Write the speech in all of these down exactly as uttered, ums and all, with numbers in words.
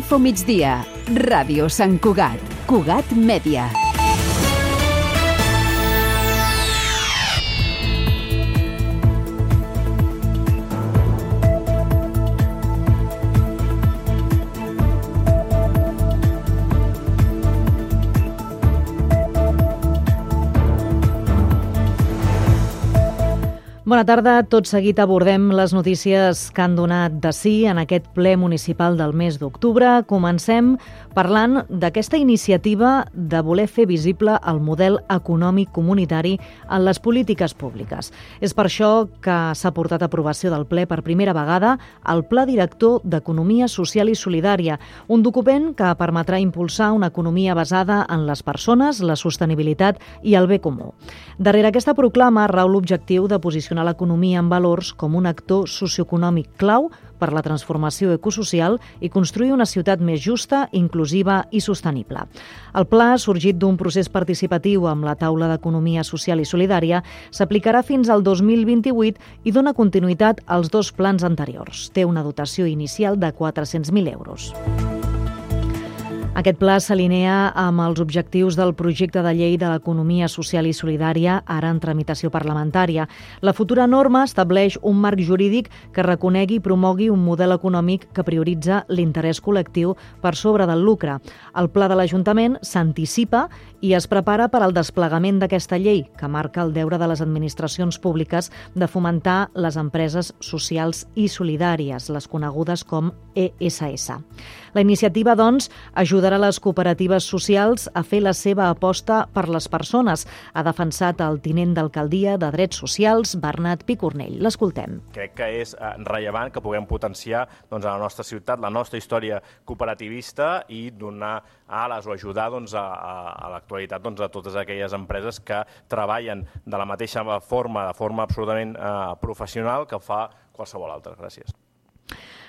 Info Migdia, Ràdio Sant Cugat, Cugat Mèdia. Bona tarda. Tot seguit abordem les notícies que han donat de sí en aquest ple municipal del mes d'octubre. Comencem parlant d'aquesta iniciativa de voler fer visible el model econòmic comunitari en les polítiques públiques. És per això que s'ha portat a aprovació del ple per primera vegada el Pla Director d'Economia Social i Solidària, un document que permetrà impulsar una economia basada en les persones, la sostenibilitat i el bé comú. Darrere aquesta proclama rau l'objectiu de posicionar l'economia en valors com un actor socioeconòmic clau per la transformació ecosocial i construir una ciutat més justa, inclusiva i sostenible. El pla, sorgit d'un procés participatiu amb la Taula d'Economia Social i Solidària, s'aplicarà fins al dos mil vint-i-vuit i dona continuïtat als dos plans anteriors. Té una dotació inicial de quatre-cents mil euros. Aquest pla s'alinea amb els objectius del projecte de llei de l'economia social i solidària, ara en tramitació parlamentària. La futura norma estableix un marc jurídic que reconegui i promogui un model econòmic que prioritza l'interès col·lectiu per sobre del lucre. El pla de l'Ajuntament s'anticipa i es prepara per al desplegament d'aquesta llei, que marca el deure de les administracions públiques de fomentar les empreses socials i solidàries, les conegudes com E S S. La iniciativa, doncs, ajudarà les cooperatives socials a fer la seva aposta per les persones, ha defensat el tinent d'alcaldia de Drets Socials, Bernat Picornell. L'escoltem. Crec que és rellevant que puguem potenciar doncs, a la nostra ciutat la nostra història cooperativista i donar ales o ajudar doncs, a, a l'actualitat doncs, a totes aquelles empreses que treballen de la mateixa forma, de forma absolutament eh, professional que fa qualsevol altra. Gràcies.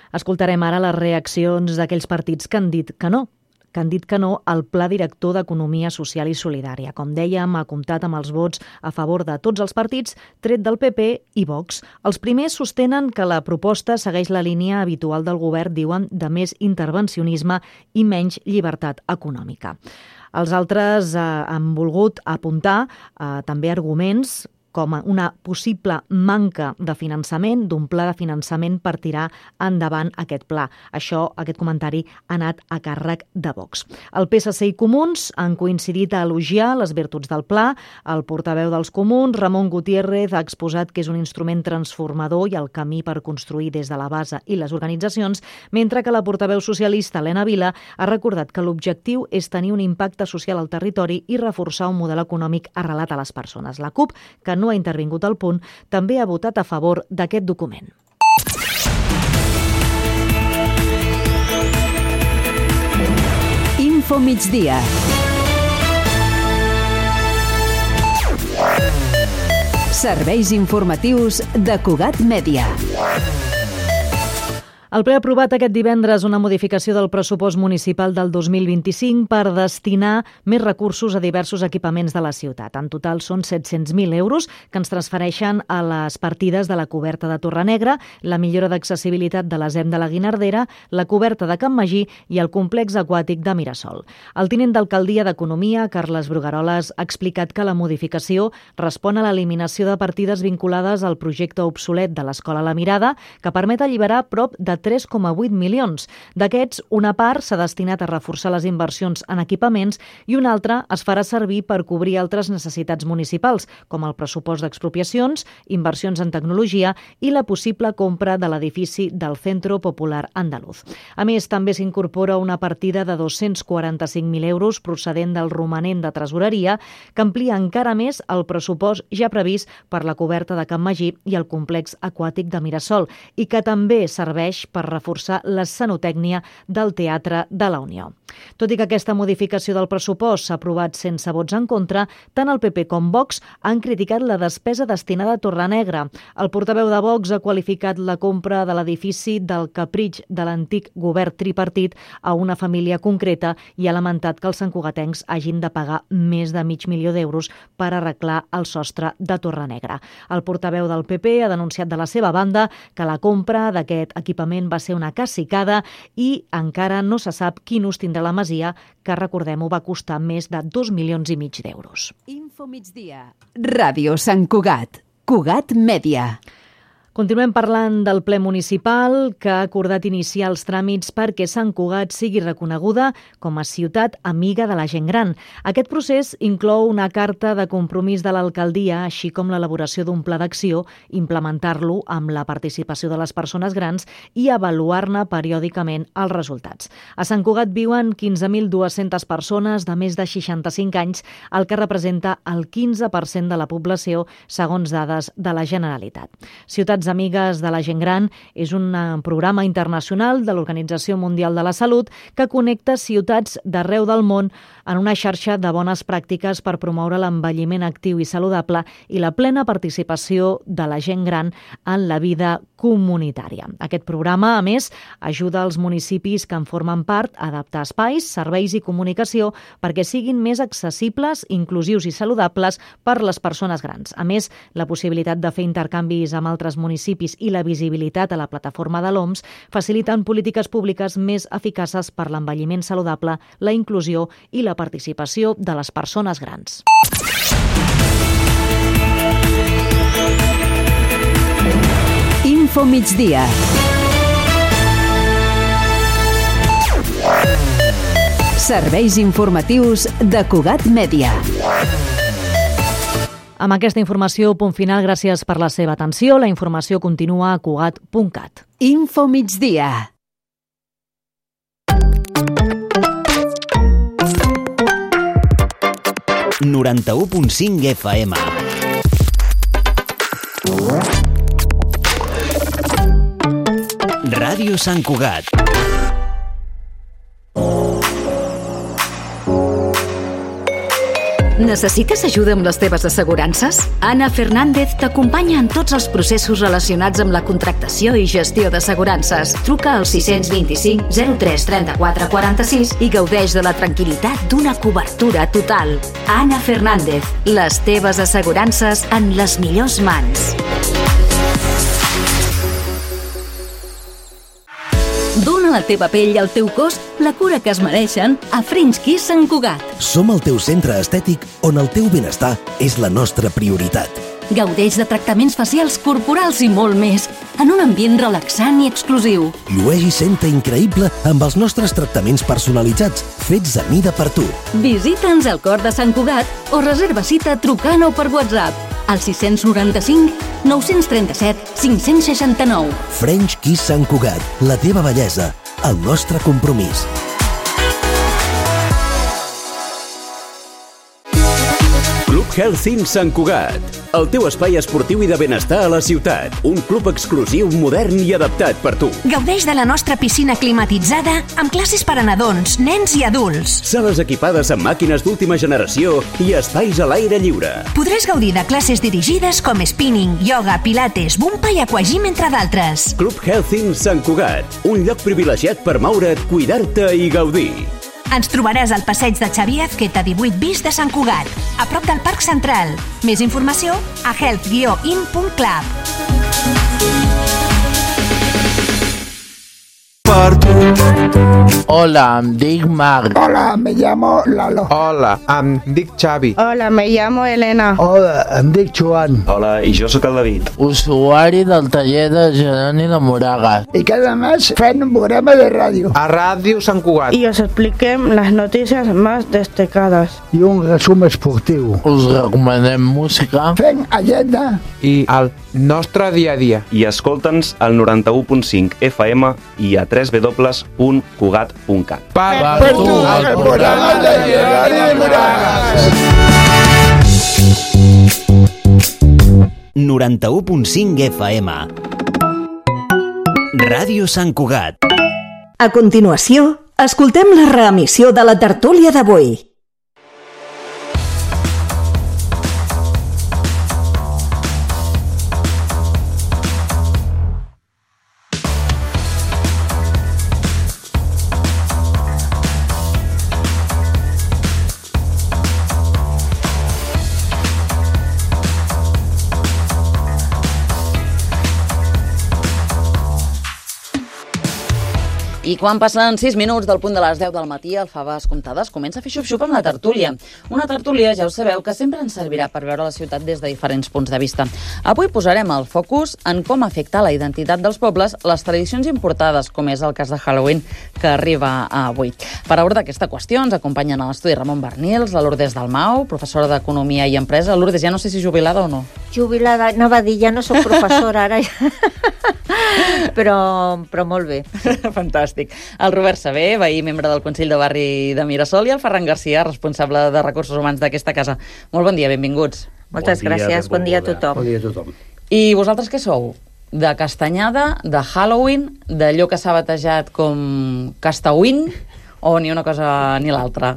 Escoltarem ara les reaccions d'aquells partits que han dit que no, que han dit que no al Pla Director d'Economia Social i Solidària. Com dèiem, ha comptat amb els vots a favor de tots els partits, tret del P P i Vox. Els primers sostenen que la proposta segueix la línia habitual del govern, diuen, de més intervencionisme i menys llibertat econòmica. Els altres eh, han volgut apuntar eh, també arguments com una possible manca de finançament, d'un pla de finançament per tirar endavant aquest pla. Això, aquest comentari, ha anat a càrrec de Vox. El P S C i Comuns han coincidit a elogiar les virtuts del pla. El portaveu dels Comuns, Ramon Gutiérrez, ha exposat que és un instrument transformador i el camí per construir des de la base i les organitzacions, mentre que la portaveu socialista, Helena Vila, ha recordat que l'objectiu és tenir un impacte social al territori i reforçar un model econòmic arrelat a les persones. La CUP, que no ha intervingut al punt, també ha votat a favor d'aquest document. Info Migdia. Serveis informatius de Cugat Mèdia. El ple ha aprovat aquest divendres una modificació del pressupost municipal del dos mil vint-i-cinc per destinar més recursos a diversos equipaments de la ciutat. En total són set-cents mil euros que ens transfereixen a les partides de la coberta de Torrenegra, la millora d'accessibilitat de la Zem de la Guinardera, la coberta de Can Magí i el complex aquàtic de Mirasol. El tinent d'alcaldia d'Economia, Carles Brugaroles, ha explicat que la modificació respon a l'eliminació de partides vinculades al projecte obsolet de l'Escola La Mirada, que permet alliberar prop de tres coma vuit milions. D'aquests, una part s'ha destinat a reforçar les inversions en equipaments i una altra es farà servir per cobrir altres necessitats municipals, com el pressupost d'expropiacions, inversions en tecnologia i la possible compra de l'edifici del Centro Popular Andaluz. A més, també s'incorpora una partida de dos-cents quaranta-cinc mil euros procedent del romanent de tresoreria que amplia encara més el pressupost ja previst per la coberta de Can Magí i el complex aquàtic de Mirasol i que també serveix per reforçar l'escenotècnia del Teatre de la Unió. Tot i que aquesta modificació del pressupost s'ha aprovat sense vots en contra, tant el P P com Vox han criticat la despesa destinada a Torrenegra. El portaveu de Vox ha qualificat la compra de l'edifici del capritx de l'antic govern tripartit a una família concreta i ha lamentat que els santcugatencs hagin de pagar més de mig milió d'euros per arreglar el sostre de Torrenegra. El portaveu del P P ha denunciat de la seva banda que la compra d'aquest equipament moment va ser una cacicada i encara no se sap quin ús tindrà la masia, que, recordem-ho, va costar més de dos milions i mig d'euros. Info migdia. Ràdio Sant Cugat. Cugat Mèdia. Continuem parlant del ple municipal que ha acordat iniciar els tràmits perquè Sant Cugat sigui reconeguda com a ciutat amiga de la gent gran. Aquest procés inclou una carta de compromís de l'alcaldia, així com l'elaboració d'un pla d'acció, implementar-lo amb la participació de les persones grans i avaluar-ne periòdicament els resultats. A Sant Cugat viuen quinze mil dues-centes persones de més de seixanta-cinc anys, el que representa el quinze per cent de la població, segons dades de la Generalitat. Ciutats Amigues de la Gent Gran és un programa internacional de l'Organització Mundial de la Salut que connecta ciutats d'arreu del món en una xarxa de bones pràctiques per promoure l'envelliment actiu i saludable i la plena participació de la gent gran en la vida comunitària. Aquest programa, a més, ajuda els municipis que en formen part a adaptar espais, serveis i comunicació perquè siguin més accessibles, inclusius i saludables per les persones grans. A més, la possibilitat de fer intercanvis amb altres municipis i la visibilitat a la plataforma de l'O M S faciliten polítiques públiques més eficaces per l'envelliment saludable, la inclusió i la participació de les persones grans. Info migdia. Serveis informatius de Cugat Mèdia. Amb aquesta informació, punt final, gràcies per la seva atenció. La informació continua a cugat punt cat. Info migdia. noranta-u punt cinc F M. Ràdio Sant Cugat. Necessites ajuda amb les teves assegurances? Anna Fernández t'acompanya en tots els processos relacionats amb la contractació i gestió d'assegurances. Truca al sis dos cinc zero tres trenta-quatre quaranta-sis i gaudeix de la tranquil·litat d'una cobertura total. Anna Fernández, les teves assegurances en les millors mans. Dóna a la teva pell i al teu cos la cura que es mereixen a French Kiss Sant Cugat. Som el teu centre estètic on el teu benestar és la nostra prioritat. Gaudeix de tractaments facials, corporals i molt més, en un ambient relaxant i exclusiu. Llueix i senta increïble amb els nostres tractaments personalitzats, fets a mida per tu. Visita'ns al cor de Sant Cugat o reserva cita trucant o per WhatsApp al sis noranta-cinc nou trenta-set cinc seixanta-nou. French Kiss Sant Cugat, la teva bellesa, el nostre compromís. Club Health Sant Cugat, el teu espai esportiu i de benestar a la ciutat. Un club exclusiu, modern i adaptat per tu. Gaudeix de la nostra piscina climatitzada amb classes per a nadons, nens i adults. Sales equipades amb màquines d'última generació i espais a l'aire lliure. Podràs gaudir de classes dirigides com spinning, ioga, pilates, bumpa i aquagym, entre d'altres. Club Health Sant Cugat, un lloc privilegiat per moure't, cuidar-te i gaudir. Ens trobaràs al passeig de Xavier Azqueta divuit bis de Sant Cugat, a prop del Parc Central. Més informació a health guió in punt club. Hola, em dic Marc. Hola, me llamo Lalo. Hola, em dic Xavi. Hola, me llamo Elena. Hola, em dic Joan. Hola, i jo sóc el David. Usuari del taller de Jeroni de Moragas. Y cada mes fem un programa de radio. A Ràdio Sant Cugat. Y os expliquem las noticias más destacadas. I un resum esportiu. Us recomanem música. Fem agenda. I el nostre dia a dia. I escolta'ns al noranta-u punt cinc F M i a w w w punt cugat punt cat. Per, per tu, el programa de Jeroni de Moragas. noranta-u punt cinc F M. Ràdio Sant Cugat. A continuació, escoltem la reemissió de la tertúlia d'avui. I quan passen sis minuts del punt de les deu del matí, el Faves Comptades comença a fer xup-xup amb la tertúlia. Una tertúlia, ja ho sabeu, que sempre ens servirà per veure la ciutat des de diferents punts de vista. Avui posarem el focus en com afecta la identitat dels pobles les tradicions importades, com és el cas de Halloween, que arriba avui. Per abordar aquesta qüestió ens acompanyen a l'estudi Ramon Bernils, la Lourdes Dalmau, professora d'Economia i Empresa. Lourdes, ja no sé si jubilada o no. Jubilada, anava a dir, ja no soc professora ara, però, però molt bé. Fantàstic. El Robert Saber, veí membre del Consell de Barri de Mirasol, i el Ferran Garcia, responsable de Recursos Humans d'aquesta casa. Molt bon dia, benvinguts. Moltes bon gràcies, dia, bon dia a tothom. Bon dia a tothom. I vosaltres què sou? De castanyada, de Halloween, d'allò que s'ha batejat com Castawin, o ni una cosa ni l'altra?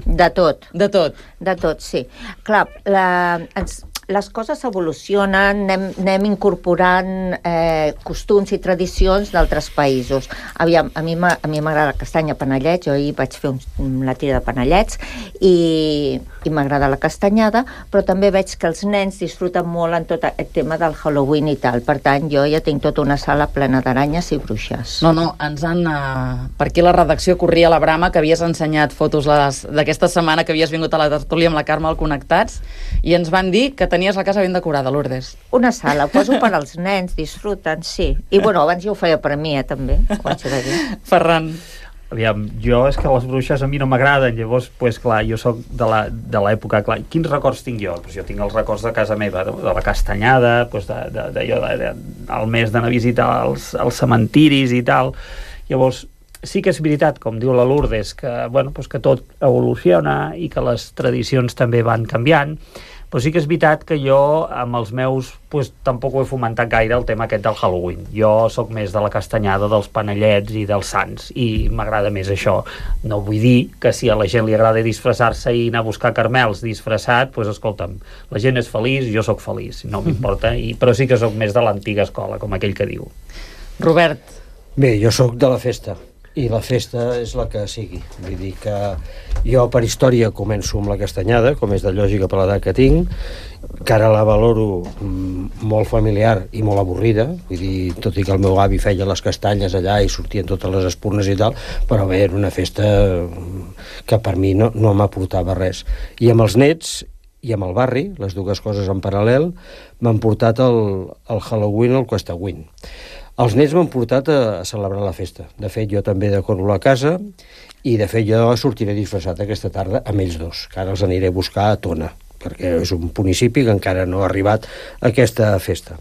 De tot. De tot? De tot, sí. Clar, la, ens, les coses evolucionen, anem, anem incorporant eh, costums i tradicions d'altres països. Aviam, a mi m'agrada la castanya panellets, jo ahir vaig fer un, la tira de panellets i, i m'agrada la castanyada, però també veig que els nens disfruten molt en tot el tema del Halloween i tal. Per tant, jo ja tinc tota una sala plena d'aranyes i bruixes. No, no, ens han... Uh, per aquí la redacció corria la brama que havies ensenyat fotos d'aquesta setmana que havies vingut a la tertúlia amb la Carme al Connectats i ens van dir que tenies la casa ben decorada, Lourdes. Una sala, ho poso per als nens, disfruten, sí. I bueno, abans jo ho feia per mi, eh, també, quan s'ha de dir. Ferran. Aviam, jo és que les bruixes a mi no m'agraden, llavors, pues, clar, jo sóc de l'època, clar, quins records tinc jo? Pues jo tinc els records de casa meva, de, de la castanyada, pues de, de, de, de, de, al mes d'anar a visitar els, els cementiris i tal. Llavors, sí que és veritat, com diu la Lourdes, que, bueno, pues que tot evoluciona i que les tradicions també van canviant, però sí que és veritat que jo, amb els meus, pues, tampoc ho he fomentat gaire el tema aquest del Halloween. Jo sóc més de la castanyada, dels panellets i dels sants, i m'agrada més això. No vull dir que si a la gent li agrada disfressar-se i anar a buscar carmels disfressat, doncs, escolta'm, la gent és feliç, jo sóc feliç, no m'importa, i, però sí que sóc més de l'antiga escola, com aquell que diu. Robert. Bé, jo sóc de la festa, i la festa és la que sigui. Vull dir que jo per història començo amb la castanyada, com és de lògica per l'edat que tinc, que ara la valoro molt familiar i molt avorrida, vull dir, tot i que el meu avi feia les castanyes allà i sortien totes les espurnes i tal, però bé, era una festa que per mi no, no m'aportava res. I amb els nets i amb el barri, les dues coses en paral·lel, m'han portat el, el Halloween al Castawin. Els nets m'han portat a, a celebrar la festa. De fet, jo també decoro la casa i, de fet, jo sortiré disfressat aquesta tarda amb ells dos, que ara els aniré a buscar a Tona, perquè és un municipi que encara no ha arribat a aquesta festa.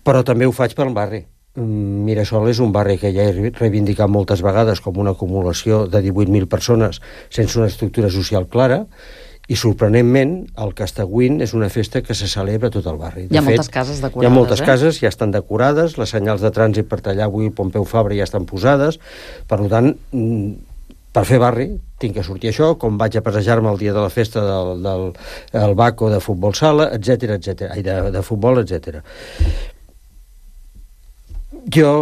Però també ho faig pel barri. Mirasol és un barri que ja he reivindicat moltes vegades com una acumulació de divuit mil persones sense una estructura social clara, i sorprenentment el Castawin és una festa que se celebra a tot el barri. De hi ha fet, moltes cases decorades. Hi ha moltes eh? cases, ja estan decorades, les senyals de trànsit per tallar avui el Pompeu Fabra ja estan posades, per tant, per fer barri tinc que sortir això, com vaig a passejar-me el dia de la festa del, del el Baco de futbol sala, etcètera, etcètera, de, de futbol, etcètera. Jo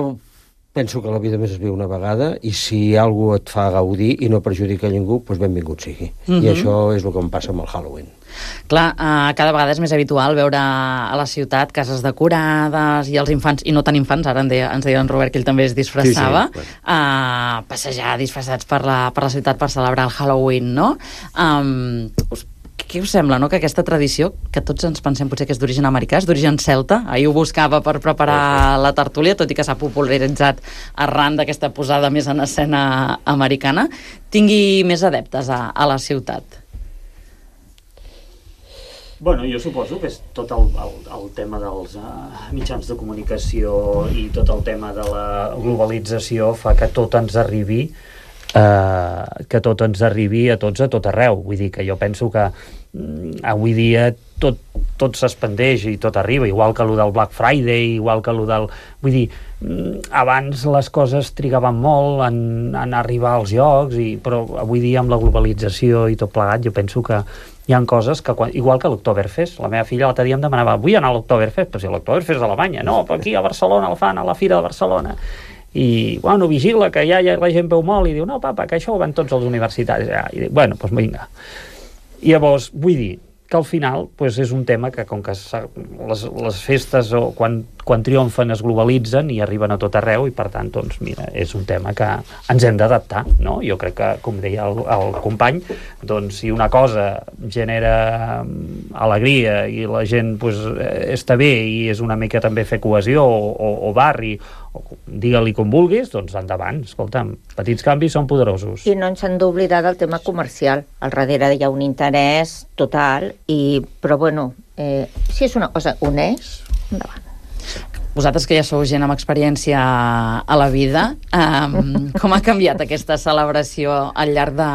penso que la vida més es viu una vegada i si algú et fa gaudir i no perjudica ningú, doncs benvingut sigui. Mm-hmm. I això és el que em passa amb el Halloween. Clar, uh, cada vegada és més habitual veure a la ciutat cases decorades i els infants, i no tan infants, ara deia, ens deia en Robert que ell també es disfressava, sí, sí, uh, passejar disfressats per la, per la ciutat per celebrar el Halloween, no? Um, us Què us sembla, no?, que aquesta tradició, que tots ens pensem potser que és d'origen americà, és d'origen celta, ahir ho buscava per preparar la tertúlia, tot i que s'ha popularitzat arran d'aquesta posada més en escena americana, tingui més adeptes a, a la ciutat? Bueno, jo suposo que és tot el, el, el tema dels uh, mitjans de comunicació i tot el tema de la globalització fa que tot ens arribi Uh, que tot ens arribi a tots a tot arreu. Vull dir que jo penso que mm, avui dia tot, tot s'expandeix i tot arriba, igual que allò del Black Friday, igual que allò del... Vull dir, mm, abans les coses trigaven molt en, en arribar als llocs, i, però avui dia amb la globalització i tot plegat jo penso que hi ha coses que, quan, igual que l'Oktoberfest, la meva filla l'altre dia em demanava, vull anar a l'Oktoberfest, però si l'Oktoberfest és a Alemanya, no, però aquí a Barcelona el fan a la Fira de Barcelona. I, bueno, vigila, que ja, ja la gent veu molt, i diu, no, papa, que això ho van tots els universitaris. Ja. I dic, bueno, doncs vinga. I llavors, vull dir que al final pues, és un tema que com que les, les festes o quan, quan triomfen es globalitzen i arriben a tot arreu i per tant doncs mira, és un tema que ens hem d'adaptar, no? Jo crec que com deia el, el company, doncs si una cosa genera alegria i la gent pues, està bé i és una mica també fer cohesió o, o, o barri, o digue-li com vulguis, doncs endavant, escolta'm, petits canvis són poderosos. I no ens hem d'oblidar del tema comercial. Al darrere hi ha un interès total, i, però bueno, eh, si és una cosa honest, endavant. Vosaltres que ja sou gent amb experiència a la vida, um, com ha canviat aquesta celebració al llarg de,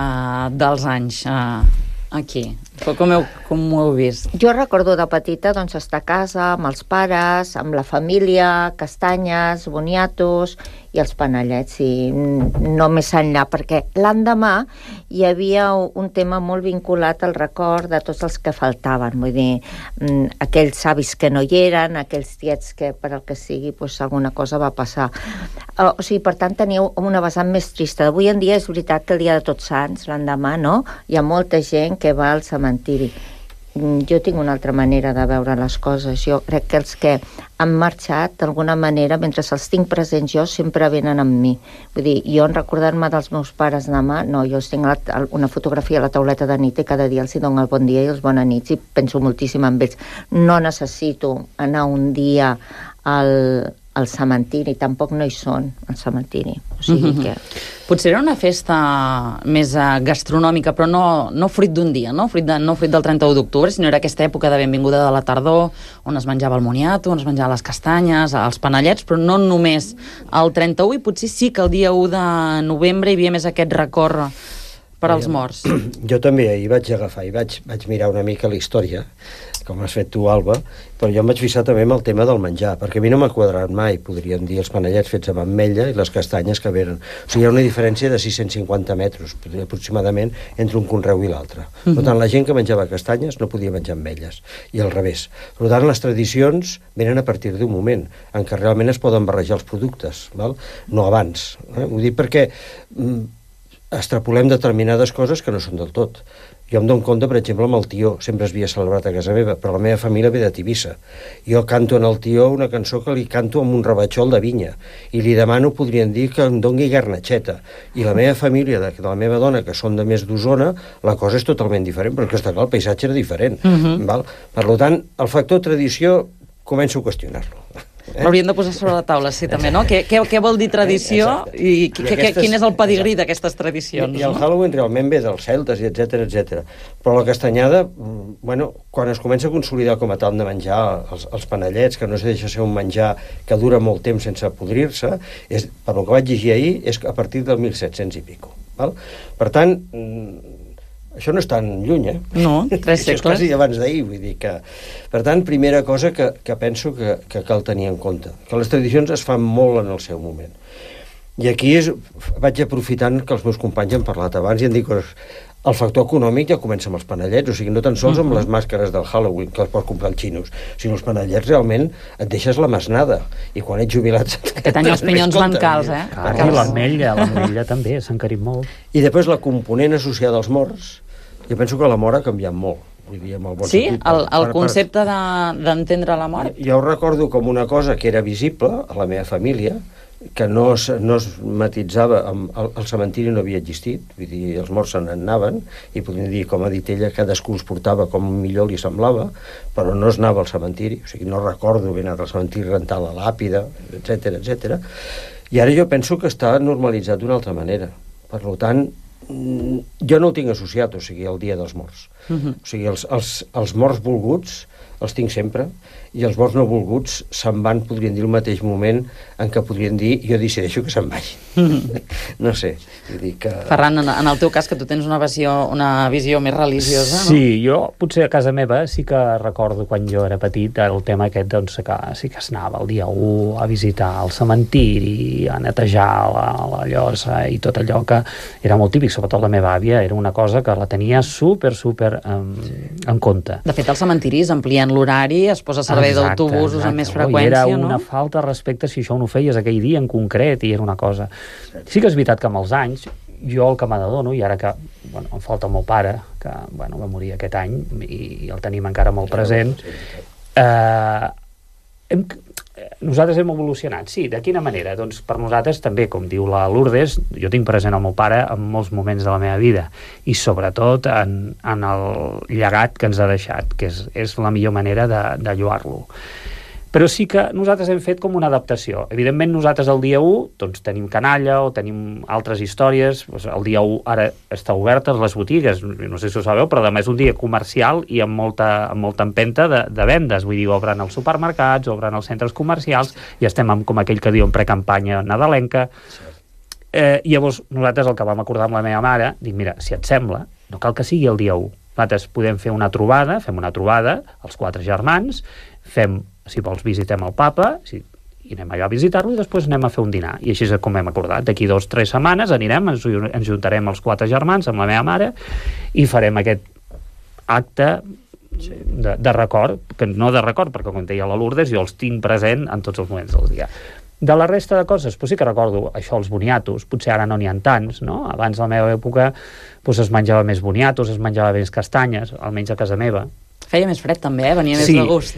dels anys uh, aquí? Com, heu, com ho heu vist? Jo recordo de petita doncs, estar a casa amb els pares, amb la família, castanyes, boniatos i els panellets, i no més enllà, perquè l'endemà hi havia un tema molt vinculat al record de tots els que faltaven, vull dir, aquells avis que no hi eren, aquells tiets que per el que sigui doncs, alguna cosa va passar. O sigui, per tant, teníeu una vessant més trista. Avui en dia és veritat que el dia de Tots Sants, l'endemà, no? Hi ha molta gent que va al cementiri. Jo tinc una altra manera de veure les coses. Jo crec que els que han marxat, d'alguna manera, mentre els tinc presents jo, sempre venen amb mi. Vull dir, jo en recordar-me dels meus pares demà, no, jo els tinc una fotografia a la tauleta de nit i cada dia els hi dono el bon dia i els bona nits i penso moltíssim en ells. No necessito anar un dia al, al cementiri, tampoc no hi són al cementiri. O sigui Mm-hmm. que... Potser era una festa més uh, gastronòmica, però no, no fruit d'un dia, no? Fruit de, no fruit del trenta-u d'octubre, sinó era aquesta època de benvinguda de la tardor, on es menjava el moniato, on es menjava les castanyes, els panellets, però no només el trenta-u, i potser sí que el dia u de novembre hi havia més aquest record per als morts. Jo també hi vaig agafar i vaig, vaig mirar una mica la història, com has fet tu, Alba, però jo em vaig fixar també amb el tema del menjar, perquè a mi no m'ha quadrat mai, podríem dir, els panellets fets amb ametlla i les castanyes que venen. O sigui, hi ha una diferència de sis-cents cinquanta metres, aproximadament, entre un conreu i l'altre. Per tant, la gent que menjava castanyes no podia menjar ametlles, i al revés. Per tant, les tradicions venen a partir d'un moment en què realment es poden barrejar els productes, val? No abans. Eh? Vull dir, perquè mm, extrapolem determinades coses que no són del tot. Jo em dono compte, per exemple, amb el tió. Sempre es havia celebrat a casa meva, però la meva família ve de Tivissa. Jo canto en el tió una cançó que li canto amb un rebatxol de vinya, i li demano, podrien dir, que em doni garnatxeta. I la meva família, de, de la meva dona, que són de més d'Osona, la cosa és totalment diferent, perquè està clar, el paisatge era diferent. Mhm. Val? Per tant, el factor tradició començo a qüestionar-lo. Eh? L'hauríem de posar sobre la taula, sí, també, no? Què, què, què vol dir tradició Exacte. i, I que, aquestes, quin és el pedigrí d'aquestes tradicions? I, i el no? Halloween realment ve dels celtes, i etcètera, etcètera. Però la castanyada, bueno, quan es comença a consolidar com a tal de menjar els, els panellets, que no es deixa ser un menjar que dura molt temps sense podrir-se, és, per el que vaig llegir ahir, és a partir del mil set-cents i pico. Val? Per tant, això no és tan lluny, eh? No, tres segles. Això és quasi abans d'ahir, vull dir que... Per tant, primera cosa que, que penso que, que cal tenir en compte, que les tradicions es fan molt en el seu moment. I aquí és, vaig aprofitant que els meus companys han parlat abans i han dit que el factor econòmic ja comença amb els panellets, o sigui, no tan sols amb les màscares del Halloween, que els pots comprar als xinos, sinó els panellets realment et deixes la masnada, i quan ets jubilat... Aquest any els pinyons van cals, eh? Ah, i l'ametlla, l'ametlla també s'ha encarit molt. I després la component associada als morts, jo penso que la mort ha canviat molt. Vull dir, amb el bon sí? sentit, El, el per, concepte d'entendre de, la mort? Jo ho recordo com una cosa que era visible a la meva família, que no es, no es matitzava, amb, el, el cementiri no havia existit, vull dir, els morts se n'anaven, i podríem dir, com ha dit ella, cadascú els portava com millor li semblava, però no es anava al cementiri, o sigui, no recordo haver anat al cementiri, rentar la làpida, etcètera, etcètera. I ara jo penso que està normalitzat d'una altra manera. Per tant, jo no ho tinc associat, o sigui, el dia dels morts. Uh-huh. O sigui, els, els, els morts volguts els tinc sempre, i els morts no volguts se'n van, podrien dir, el mateix moment en què podrien dir, jo decideixo que se'n vagin. Mm. No sé, vull dir que... Ferran, en, en el teu cas, que tu tens una visió, una visió més religiosa, no? Sí, jo potser a casa meva sí que recordo quan jo era petit el tema aquest, doncs, que sí que es anava el dia u a visitar el cementiri, a netejar la, la llosa i tot allò que era molt típic, sobretot la meva àvia, era una cosa que la tenia super, super um, en compte. De fet, els cementiris amplien l'horari, es posa a servei d'autobusos amb més freqüència, no? I era una no? falta de respecte si això no ho feies aquell dia en concret, i era una cosa... Sí que és veritat que amb els anys, jo el que m'adono, i ara que bueno, em falta el meu pare, que bueno, va morir aquest any i el tenim encara molt present. Eh, hem, nosaltres hem evolucionat, sí, de quina manera? Doncs per nosaltres també, com diu la Lourdes, jo tinc present el meu pare en molts moments de la meva vida i sobretot en, en el llegat que ens ha deixat, que és, és la millor manera de, de lloar-lo. Però sí que nosaltres hem fet com una adaptació. Evidentment, nosaltres el dia u doncs, tenim canalla o tenim altres històries. Doncs, el dia u ara està obertes les botigues, no sé si ho sabeu, però demà és un dia comercial i amb molta, amb molta empenta de, de vendes. Vull dir, obren els supermercats, obren els centres comercials i estem amb, com aquell que diu en precampanya nadalenca. Eh, llavors, nosaltres el que vam acordar amb la meva mare, dic, mira, si et sembla, no cal que sigui el dia u. Nosaltres podem fer una trobada, fem una trobada, els quatre germans, fem, si vols visitem el papa, si, i anem allà a visitar-lo i després anem a fer un dinar. I així és com hem acordat. D'aquí dos o tres setmanes anirem, ens, ens juntarem els quatre germans amb la meva mare i farem aquest acte de, de record, que no de record, perquè com deia la Lourdes, jo els tinc present en tots els moments del dia. De la resta de coses, doncs sí que recordo això, els boniatos, potser ara no n'hi ha tants, no? Abans, a la meva època, doncs es menjava més boniatos, es menjava més castanyes, almenys a casa meva. Feia més fred també, eh? Venia més sí, de gust.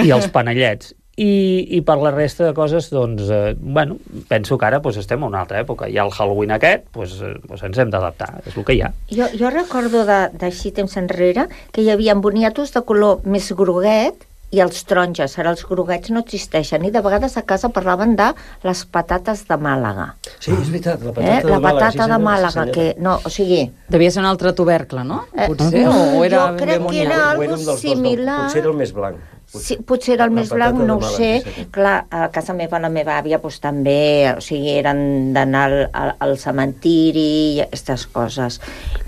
I els panellets. I, i per la resta de coses, doncs, eh, bueno, penso que ara doncs, estem en una altra època. Hi ha el Halloween aquest, doncs, eh, doncs ens hem d'adaptar, és el que hi ha. Jo, jo recordo d'així temps enrere que hi havia boniatos de color més groguet i els taronges. Ara els groguets no existeixen i de vegades a casa parlaven de les patates de Màlaga. Sí, és veritat, la patata eh? de la Màlaga. patata sí, de Màlaga, sí, que no, o sigui... Devia ser un altre tubercle, no? Eh, potser, no, o era jo crec que era algo similar. Potser era el més blanc. Potser, sí, potser era el més blanc, no ho sé. Clar, a casa meva, la meva àvia, doncs també, o sigui, eren d'anar al, al, al cementiri i aquestes coses.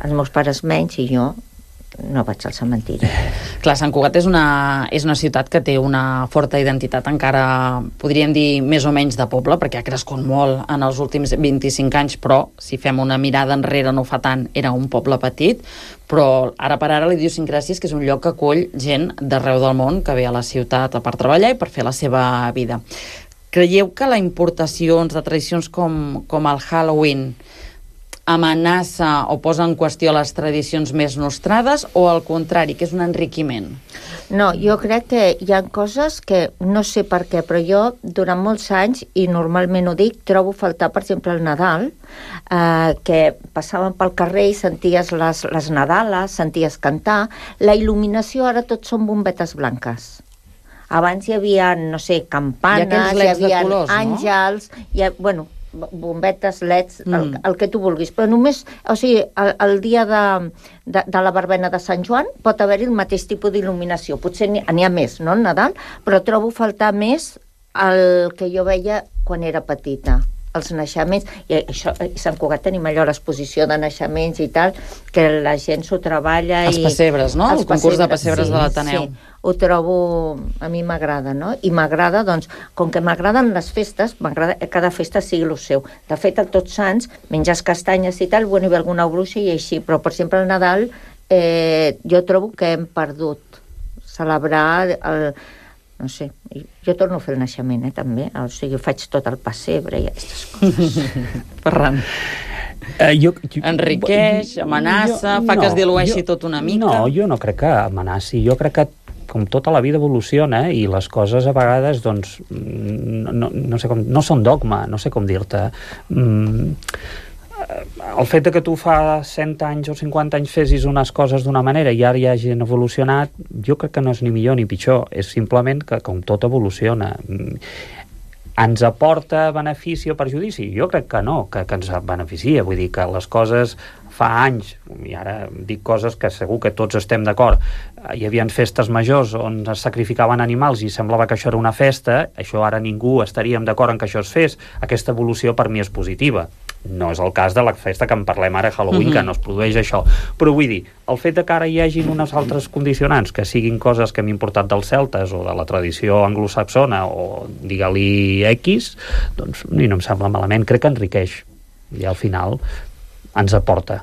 Els meus pares menys i jo no vaig al cementiri. Clar, Sant Cugat és una, és una ciutat que té una forta identitat, encara podríem dir més o menys de poble, perquè ha crescut molt en els últims vint-i-cinc anys, però si fem una mirada enrere no fa tant, era un poble petit, però ara per ara l'idiosincràsia és que és un lloc que acull gent d'arreu del món que ve a la ciutat per treballar i per fer la seva vida. Creieu que la importació de tradicions com, com el Halloween amenaça o posa en qüestió les tradicions més nostrades o al contrari, que és un enriquiment? No, jo crec que hi ha coses que no sé per què, però jo durant molts anys, i normalment ho dic, trobo faltar, per exemple, el Nadal, eh, que passaven pel carrer i senties les, les Nadales, senties cantar. La il·luminació ara tot són bombetes blanques. Abans hi havia, no sé, campanes, hi, hi havia colors, àngels, no? hi ha, bueno, bombetes, leds, mm. el, el que tu vulguis, però només, o sigui, el, el dia de, de, de la verbena de Sant Joan pot haver-hi el mateix tipus d'il·luminació, potser n'hi ha més, no, el Nadal, però trobo faltar més el que jo veia quan era petita, els naixements, i això, a Sant Cugat tenim allò, l'exposició de naixements i tal, que la gent s'ho treballa. Els i... pessebres, no? El concurs de pessebres sí, de l'Ateneu. Sí, ho trobo, a mi m'agrada, no? I m'agrada, doncs, com que m'agraden les festes, m'agrada que cada festa sigui el seu. De fet, el Tots Sants, menges castanyes i tal, bueno, hi ha alguna bruixa i així, però, per exemple, el Nadal, eh, jo trobo que hem perdut celebrar el... no sé, jo torno a fer el naixement, eh, també, o sigui, faig tot el pessebre i aquestes coses. Ferran. Uh, jo, jo, Enriqueix, amenaça, jo, fa no, que es dilueixi jo, tot una mica. No, jo no crec que amenaci, jo crec que com tota la vida evoluciona i les coses a vegades doncs no, no, no sé com, no són dogma, no sé com dir-te. Mm, el fet de que tu fa cent anys o cinquanta anys fessis unes coses d'una manera i ara ja hagin evolucionat, jo crec que no és ni millor ni pitjor, és simplement que com tot evoluciona. Ens aporta benefici o perjudici? Jo crec que no, que, que ens beneficia, vull dir que les coses fa anys, i ara dic coses que segur que tots estem d'acord, hi havia festes majors on es sacrificaven animals i semblava que això era una festa, això ara ningú estaríem d'acord en que això es fes, aquesta evolució per mi és positiva. No és el cas de la festa que en parlem ara, Halloween, mm-hmm. que no es produeix això. Però vull dir, el fet de que ara hi hagin unes altres condicionants, que siguin coses que hem importat dels celtes o de la tradició anglosaxona o digue-li X, doncs ni no em sembla malament, crec que enriqueix i al final ens aporta.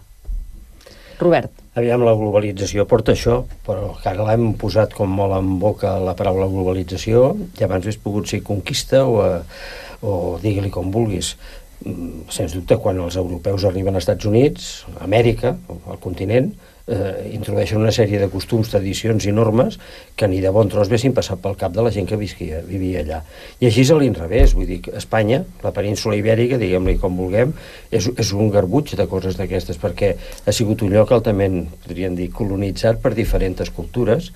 Robert. Aviam, la globalització porta això, però que ara l'hem posat com molt en boca la paraula globalització i abans hauria pogut ser conquista o, a, o digue-li com vulguis. sens dubte, quan els europeus arriben als Estats Units, a Amèrica, al continent, eh, introdueixen una sèrie de costums, tradicions i normes que ni de bon tros haguessin passat pel cap de la gent que visquia, vivia allà. I així és a l'inrevés, vull dir, Espanya, la península ibèrica, diguem-li com vulguem, és, és un garbuig de coses d'aquestes, perquè ha sigut un lloc altament, podríem dir, colonitzat per diferents cultures,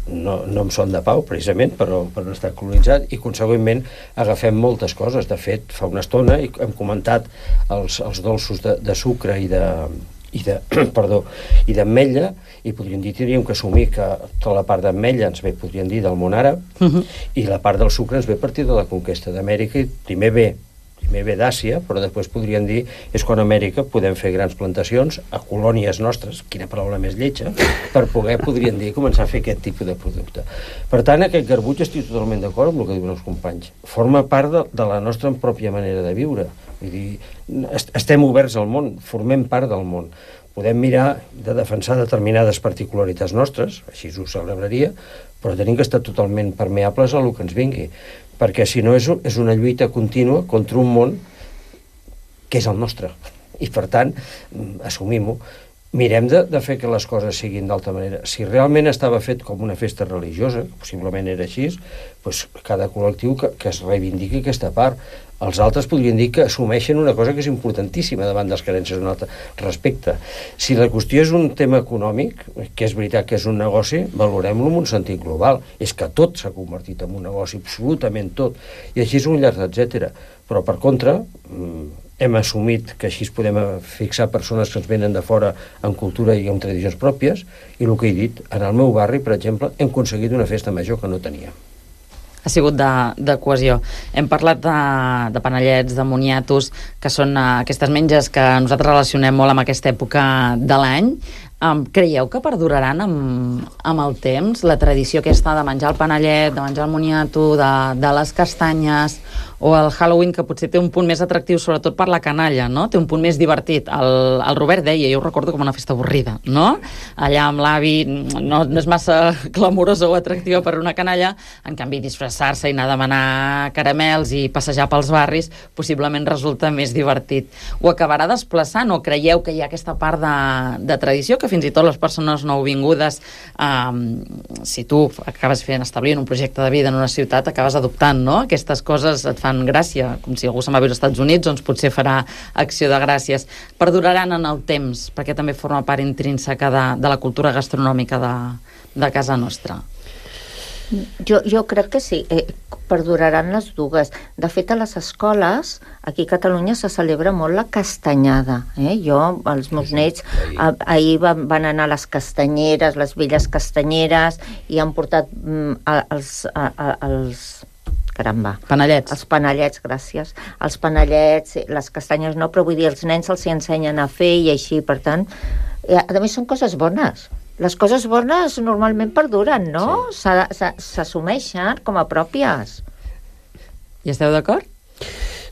no, no en són de pau, precisament, però per no estar colonitzat, i consegüentment agafem moltes coses. De fet, fa una estona hem comentat els, els dolços de, de sucre i de i de, perdó, i d'ametlla, i podríem dir, tindríem que assumir que tota la part d'ametlla ens ve, podríem dir, del món àrab, uh-huh. i la part del sucre ens ve a partir de la conquesta d'Amèrica, i primer ve, primer ve d'Àsia, però després podríem dir, és quan a Amèrica podem fer grans plantacions a colònies nostres, quina paraula més lletja, per poder, podríem dir, començar a fer aquest tipus de producte. Per tant, aquest garbuig estic totalment d'acord amb el que diuen els companys. Forma part de, de la nostra pròpia manera de viure. Vull dir, estem oberts al món, formem part del món. Podem mirar de defensar determinades particularitats nostres, així ho celebraria, però tenim que estar totalment permeables a el que ens vingui, perquè si no és, és una lluita contínua contra un món que és el nostre. I per tant, assumim-ho. Mirem de, de fer que les coses siguin d'altra manera. Si realment estava fet com una festa religiosa, que possiblement era així, doncs cada col·lectiu que, que es reivindiqui aquesta part. Els altres podrien dir que assumeixen una cosa que és importantíssima davant de les carències d'un altre respecte. Si la qüestió és un tema econòmic, que és veritat que és un negoci, valorem-lo en un sentit global. És que tot s'ha convertit en un negoci, absolutament tot. I així és un llarg, etcètera. Però, per contra, hem assumit que així podem fixar persones que ens venen de fora en cultura i en tradicions pròpies, i el que he dit, en el meu barri, per exemple, hem aconseguit una festa major que no tenia. Ha sigut de, de cohesió. Hem parlat de, de panellets, de moniatos, que són uh, aquestes menges que nosaltres relacionem molt amb aquesta època de l'any. Um, creieu que perduraran amb, amb el temps la tradició aquesta de menjar el panellet, de menjar el moniato, de, de les castanyes, o el Halloween, que potser té un punt més atractiu sobretot per la canalla, no? Té un punt més divertit. El, el Robert deia, jo ho recordo com una festa avorrida, no? Allà amb l'avi no, no és massa clamorosa o atractiva per una canalla, en canvi disfressar-se i anar a demanar caramels i passejar pels barris possiblement resulta més divertit. Ho acabarà desplaçant, o creieu que hi ha aquesta part de, de tradició que fins i tot les persones nouvingudes, um, si tu acabes fent establint un projecte de vida en una ciutat, acabes adoptant, no? Aquestes coses et fan gràcia, com si algú se'n va viure als Estats Units, doncs potser farà acció de gràcies. Perduraran en el temps, perquè també forma part intrínseca de, de la cultura gastronòmica de, de casa nostra. Jo, jo crec que sí, eh, perduraran les dues. De fet, a les escoles, aquí a Catalunya se celebra molt la castanyada. Eh? Jo, els meus nets, ah, ahir van, van anar a les castanyeres, les velles castanyeres, i han portat mm, els... A, a, els caramba. Panellets. Els panellets, gràcies. Els panellets, les castanyes no, però vull dir, els nens els hi ensenyen a fer i així, per tant, a més són coses bones. Les coses bones normalment perduren, no? Sí. S'assumeixen com a pròpies. I esteu d'acord?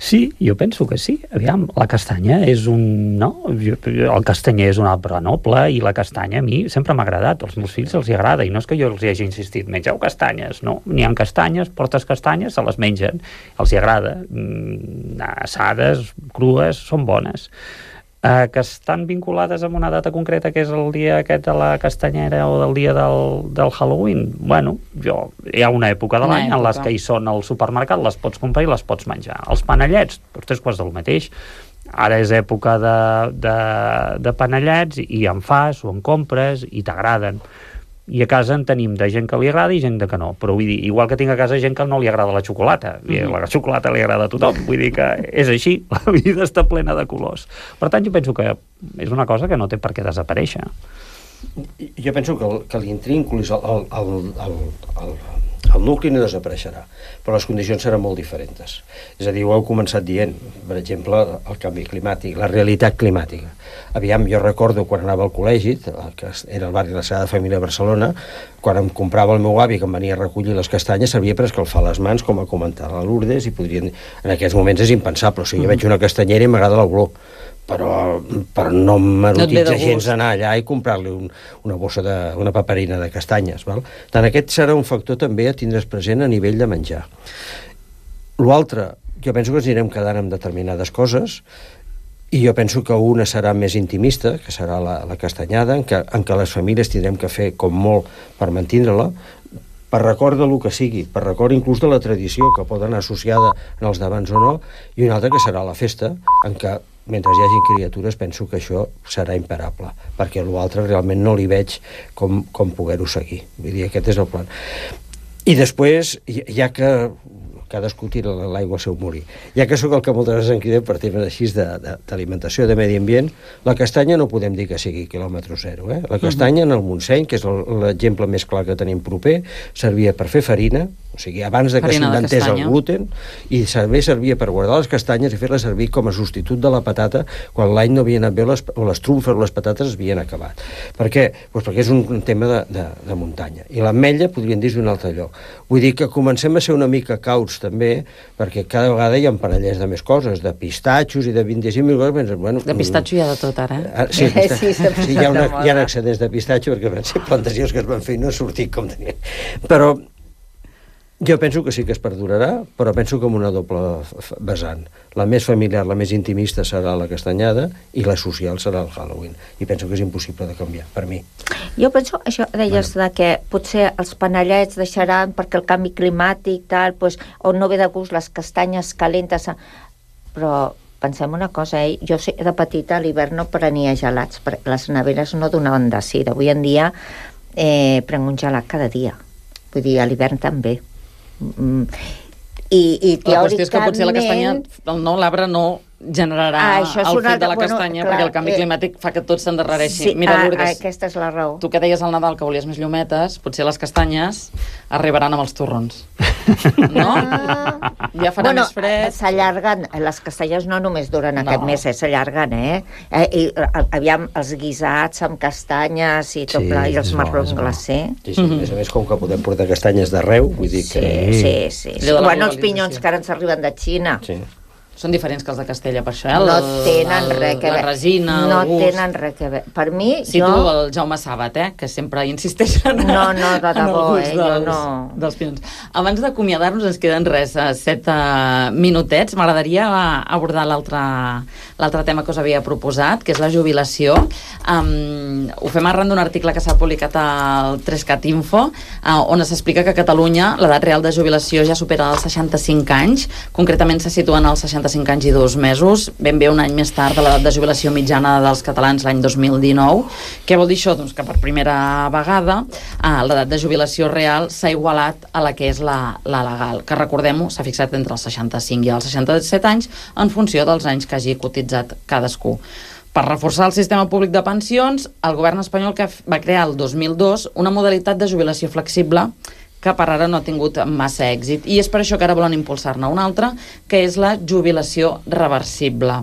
Sí, jo penso que sí. Aviam, la castanya és un... no? El castanyer és un arbre noble i la castanya a mi sempre m'ha agradat. Als meus fills els hi agrada, i no és que jo els hi hagi insistit, mengeu castanyes, no? N'hi ha castanyes, portes castanyes, se les mengen, els hi agrada. Mm, assades, crues, són bones. Uh, que estan vinculades amb una data concreta, que és el dia aquest de la castanyera o del dia del, del Halloween. Bueno, jo, hi ha una època de l'any en les que hi són al supermercat, les pots comprar i les pots menjar. Els panellets, doncs tres quarts del mateix. Ara és època de, de, de panellets i en fas o en compres i t'agraden. I a casa en tenim de gent que li agrada i gent de que no. Però vull dir, igual que tinc a casa gent que no li agrada la xocolata. Mm-hmm. La xocolata li agrada a tothom. Vull dir que és així, la vida està plena de colors. Per tant, jo penso que és una cosa que no té per què desaparèixer. Jo penso que, que l'intrínculis, el, el, el, el, el nucli no desapareixerà, però les condicions seran molt diferents. És a dir, ho heu començat dient, per exemple, el canvi climàtic, la realitat climàtica. Aviam, jo recordo quan anava al col·legi, que era el barri de la Sagrada Família de Barcelona, quan em comprava el meu avi que em venia a recollir les castanyes, servia per escalfar les mans, com a comentar a Lourdes, i podrien... En aquests moments és impensable. O sigui, jo veig una castanyera i m'agrada l'olor, però, però no m'erotitza no gens anar allà i comprar-li un, una bossa de, una paperina de castanyes. Val? Tant aquest serà un factor també a tindre's present a nivell de menjar. L'altre, jo penso que ens anirem quedant amb determinades coses, i jo penso que una serà més intimista, que serà la, la castanyada, en què, en què les famílies tindrem que fer com molt per mantindre-la, per record del que sigui, per record inclús de la tradició que pot anar associada en els d'abans o no, i una altra que serà la festa, en què mentre hi hagi criatures penso que això serà imparable, perquè l'altre realment no li veig com, com poder-ho seguir. Vull dir, aquest és el plan. I després, ja que cadascú tira l'aigua al seu molí, ja que sóc el que moltes vegades en crida per temes així d'alimentació, de, de medi ambient, la castanya no podem dir que sigui quilòmetre zero. Eh? La castanya en el Montseny, que és l'exemple més clar que tenim proper, servia per fer farina, o sigui, abans de que s'inventés el gluten, i també servia per guardar les castanyes i fer-les servir com a substitut de la patata quan l'any no havia anat bé les, o les trumfes o les patates es havien acabat. Per què? Pues perquè és un, un tema de, de, de muntanya. I l'ametlla podrien dir d'un altre lloc. Vull dir que comencem a ser una mica cauts també, perquè cada vegada hi ha parellers de més coses, de pistatxos i de vint-i-cinc mil coses. Bueno, de pistatxo hi ha de tot, ara, eh? Ah, sí, sí, sí, sí, hi ha, una, hi ha excedents de pistatxo perquè van ser plantacions que es van fer i no ha sortit com tenien. Però jo penso que sí que es perdurarà, però penso com una doble vessant. La més familiar, la més intimista serà la castanyada i la social serà el Halloween. I penso que és impossible de canviar, per mi. Jo penso, això deies bueno. de que potser els panellets deixaran perquè el canvi climàtic, tal, pues, o no ve de gust les castanyes calentes, però pensem una cosa, eh? Jo sé, de petita a l'hivern no prenia gelats, perquè les neveres no donaven de sí. D'avui en dia eh, prenc un gelat cada dia. Vull dir, a l'hivern també. Mm. I, i teòricament... La qüestió és que potser la castanya, no, l'arbre no generarà ah, el fet de la castanya, bueno, clar, perquè el canvi climàtic fa que tot s'endarrereixi. Sí, Mira, ah, Lourdes, aquesta és la raó. Tu que deies al Nadal que volies més llumetes, potser les castanyes arribaran amb els torrons. No? Ah. Ja farà bueno, més fred. S'allarguen, les castanyes no només duren no. aquest mes, eh, s'allarguen, eh? eh? I, aviam, els guisats amb castanyes i tot sí, pla, i els marrons glacé. Sí, sí, mm -hmm. a més a més, com que podem portar castanyes d'arreu, vull dir que... Sí, sí, sí. sí. Bueno, els pinyons que ara ens arriben de Xina. Sí. Són diferents que els de Castella, per això, eh? No tenen res que veure. La resina, no el gust. No tenen res que veure. Per mi, sí, jo... Sí, tu, el Jaume Sàbat, eh? Que sempre insisteix en, no, no, de debò, eh? dels, jo no... dels pinyons. Abans d'acomiadar-nos, ens queden res, set uh, minutets. M'agradaria abordar l'altre tema que us havia proposat, que és la jubilació. Um, ho fem arran d'un article que s'ha publicat al tres cat Info, uh, on s'explica que a Catalunya l'edat real de jubilació ja supera els seixanta-cinc anys. Concretament se situen als seixanta-cinc anys i dos mesos, ben bé un any més tard de l'edat de jubilació mitjana dels catalans l'any dos mil dinou. Què vol dir això? Doncs que per primera vegada eh, l'edat de jubilació real s'ha igualat a la que és la, la legal, que recordem-ho, s'ha fixat entre els seixanta-cinc i els seixanta-set anys en funció dels anys que hagi cotitzat cadascú. Per reforçar el sistema públic de pensions, el govern espanyol que va crear el dos mil dos una modalitat de jubilació flexible que per ara no ha tingut massa èxit. I és per això que ara volen impulsar-ne una altra, que és la jubilació reversible.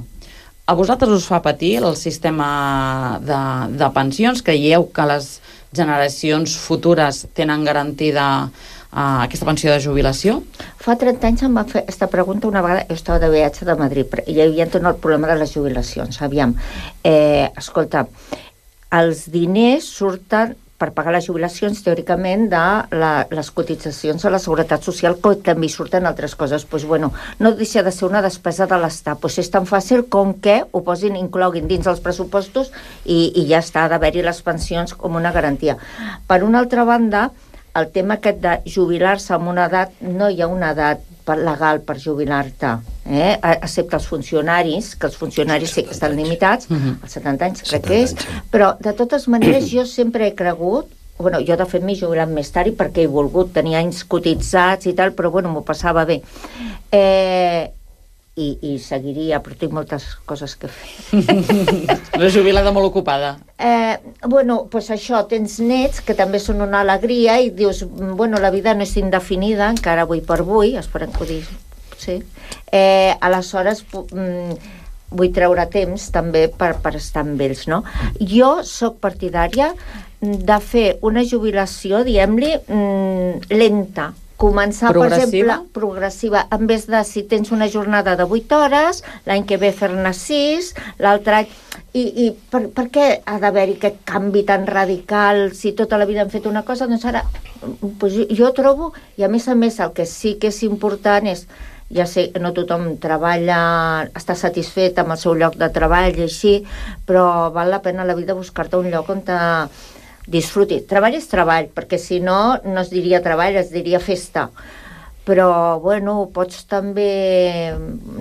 A vosaltres us fa patir el sistema de, de pensions? Creieu que les generacions futures tenen garantida uh, aquesta pensió de jubilació? Fa trenta anys em va fer aquesta pregunta una vegada, jo estava de viatge de Madrid, i hi havia tot el problema de les jubilacions. Aviam, eh, escolta, els diners surten per pagar les jubilacions, teòricament, de la, les cotitzacions a la Seguretat Social, que també surten altres coses. Pues, bueno, no deixa de ser una despesa de l'Estat. Pues és tan fàcil com que ho posin, incloguin dins els pressupostos i, i ja està, d'haver-hi les pensions com una garantia. Per una altra banda, el tema aquest de jubilar-se amb una edat, no hi ha una edat legal per jubilar-te, eh? Excepte els funcionaris, que els funcionaris sí que estan limitats, als setanta anys crec que és, però de totes maneres jo sempre he cregut, bueno, jo de fet m'he jubilat més tard i perquè he volgut tenir anys cotitzats i tal, però bueno, m'ho passava bé. Eh, i, i seguiria, però tinc moltes coses que fer. Una jubilada molt ocupada. Eh, bueno, pues això, tens nets que també són una alegria i dius, bueno, la vida no és indefinida, encara avui per avui, esperem que ho digui, sí. Eh, aleshores, mm, vull treure temps també per, per estar amb ells, no? Jo sóc partidària de fer una jubilació, diguem-li, mm, lenta, començar, per exemple, progressiva, en vez de si tens una jornada de vuit hores, l'any que ve fer-ne sis, l'altre any... I, i per, per què ha d'haver-hi aquest canvi tan radical si tota la vida hem fet una cosa? Doncs ara, pues jo, jo trobo, i a més a més el que sí que és important és ja sé que no tothom treballa, està satisfet amb el seu lloc de treball i així, però val la pena a la vida buscar-te un lloc on te disfrutis. Treball és treball, perquè si no, no es diria treball, es diria festa. Però, bueno, pots també,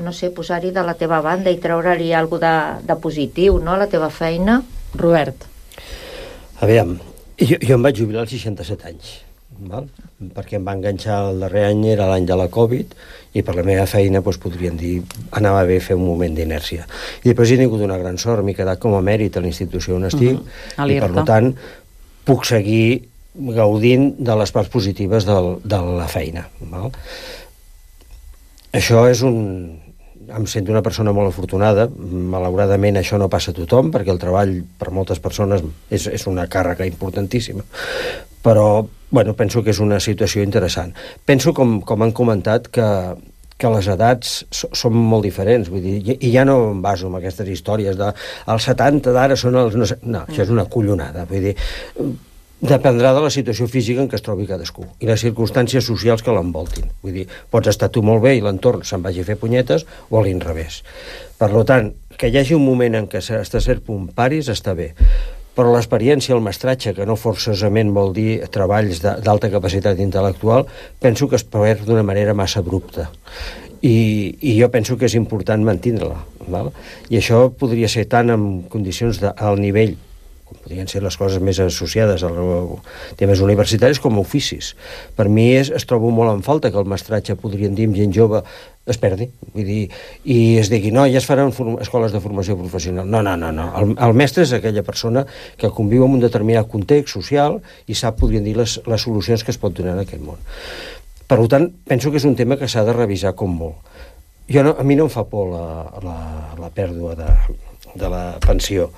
no sé, posar-hi de la teva banda i treure-li alguna de, de positiu, no?, a la teva feina. Robert. Aviam, jo, jo em vaig jubilar als seixanta-set anys, val? Perquè em va enganxar el darrer any, era l'any de la Covid, i per la meva feina, doncs, podríem dir, anava bé fer un moment d'inèrcia. I després he tingut una gran sort, m'he quedat com a mèrit a la institució on estic, uh-huh. i per tant puc seguir gaudint de les parts positives del, de la feina. Val? Això és un... Em sento una persona molt afortunada. Malauradament això no passa a tothom, perquè el treball per moltes persones és, és una càrrega importantíssima. Però, bueno, penso que és una situació interessant. Penso, com, com han comentat, que, que les edats so, són molt diferents. Vull dir, i, i ja no em baso en aquestes històries de els setanta d'ara són els... No, no, això és una collonada. Vull dir, dependrà de la situació física en què es trobi cadascú i les circumstàncies socials que l'envoltin. Vull dir, pots estar tu molt bé i l'entorn se'n vagi a fer punyetes o a l'inrevés. Per tant, que hi hagi un moment en què està cert punt paris està bé, però l'experiència, el mestratge, que no forçosament vol dir treballs d'alta capacitat intel·lectual, penso que es perd d'una manera massa abrupta. I, i jo penso que és important mantindre-la. Val? I això podria ser tant en condicions d'alt nivell, com podrien ser les coses més associades a temes universitaris, com a oficis. Per mi és, es trobo molt en falta que el mestratge, podríem dir, amb gent jove, es perdi. Vull dir, i es digui, no, ja es faran escoles de formació professional. No, no, no. no. El, el mestre és aquella persona que conviu en un determinat context social i sap, podríem dir, les, les solucions que es pot donar en aquest món. Per tant, penso que és un tema que s'ha de revisar com molt. Jo no, a mi no em fa por la, la, la pèrdua de, de la pensió,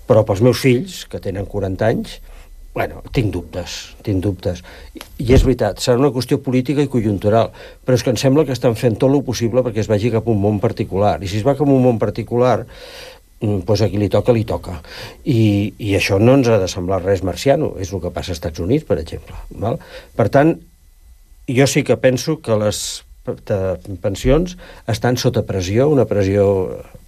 però pels meus fills, que tenen quaranta anys, bueno, tinc dubtes, tinc dubtes. I és veritat, serà una qüestió política i conjuntural, però és que em sembla que estan fent tot el possible perquè es vagi cap a un món particular. I si es va cap a un món particular, doncs a qui li toca, li toca. I, i això no ens ha de semblar res marciano, és el que passa als Estats Units, per exemple. Val? Per tant, jo sí que penso que les pensions estan sota pressió, una pressió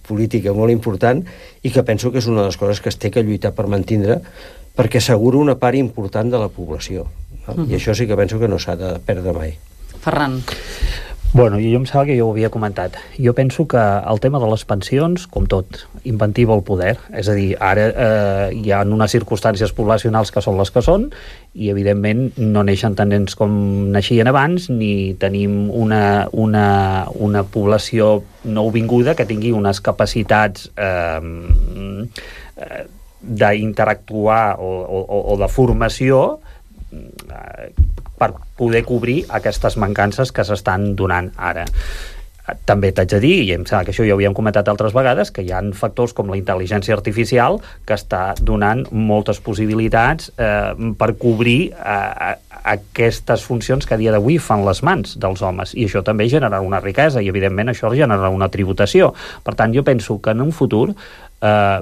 política molt important, i que penso que és una de les coses que es té que lluitar per mantindre, perquè assegura una part important de la població. No? Uh-huh. I això sí que penso que no s'ha de perdre mai. Ferran. Bueno, jo em sembla que jo ho havia comentat. Jo penso que el tema de les pensions, com tot, inventiva el poder. És a dir, ara eh, hi ha unes circumstàncies poblacionals que són les que són i, evidentment, no neixen tant nens com naixien abans, ni tenim una, una, una població nouvinguda que tingui unes capacitats eh, eh, d'interactuar o, o, o de formació eh, per poder cobrir aquestes mancances que s'estan donant ara. També t'haig de dir, i em sembla que això ja ho havíem comentat altres vegades, que hi ha factors com la intel·ligència artificial que està donant moltes possibilitats eh, per cobrir eh, aquestes funcions que a dia d'avui fan les mans dels homes, i això també generarà una riquesa, i evidentment això generarà una tributació. Per tant, jo penso que en un futur eh,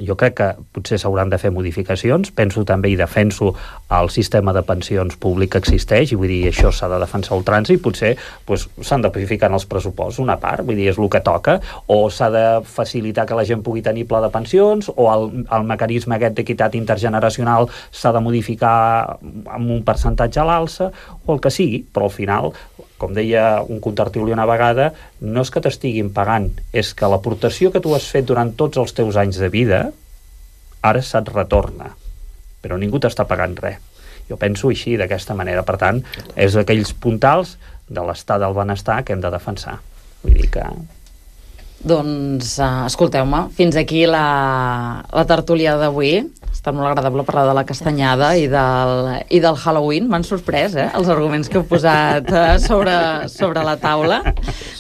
jo crec que potser s'hauran de fer modificacions. Penso també i defenso el sistema de pensions públic que existeix, i vull dir, això s'ha de defensar a ultrança, i potser pues, s'han de ficar en els pressupostos una part, vull dir, és el que toca, o s'ha de facilitar que la gent pugui tenir pla de pensions, o el, el mecanisme aquest d'equitat intergeneracional s'ha de modificar amb un percentatge a l'alça, o el que sigui, però al final, com deia un contertuli una vegada, no és que t'estiguin pagant, és que l'aportació que tu has fet durant tots els teus anys de vida ara se't retorna, però ningú t'està pagant res. Jo penso així, d'aquesta manera. Per tant, és aquells puntals de l'estat del benestar que hem de defensar. Vull dir que... Doncs, uh, escolteu-me, fins aquí la, la tertúlia d'avui. Ha estat molt agradable parlar de la castanyada i del, i del Halloween. M'han sorprès, eh, els arguments que heu posat uh, sobre, sobre la taula.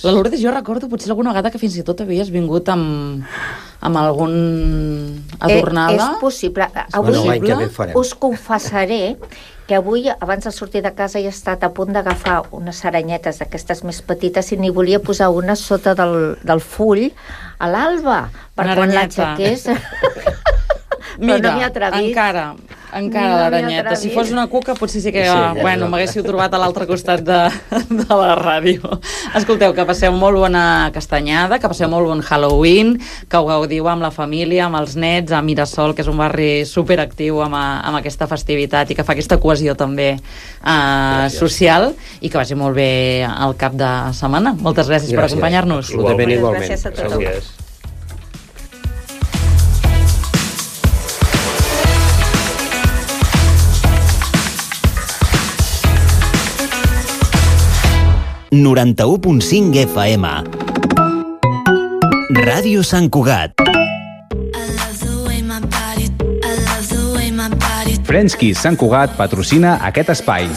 La Lourdes, jo recordo potser alguna vegada que fins i tot havies vingut amb, amb algun adornada. Eh, és possible. Avui no, us confessaré que avui, abans de sortir de casa, he estat a punt d'agafar unes aranyetes d'aquestes més petites i n'hi volia posar una sota del, del full a l'alba, per quan l'enxequés. Mira, no encara, Encara l'aranyeta. Si fos una cuca, potser sí que... Sí, ja, bueno, ja. M'haguéssiu trobat a l'altre costat de, de la ràdio. Escolteu, que passeu molt bona castanyada, que passeu molt bon Halloween, que ho gaudiu amb la família, amb els nets, a Mirasol, que és un barri superactiu amb, amb aquesta festivitat i que fa aquesta cohesió també eh, social, i que vagi molt bé al cap de setmana. Moltes gràcies, gràcies. per acompanyar-nos. Igualment, igualment. Gràcies a tothom. Gràcies. noranta-u punt cinc F M. Ràdio Sant Cugat. Frenchkies Sant Cugat patrocina aquest espai.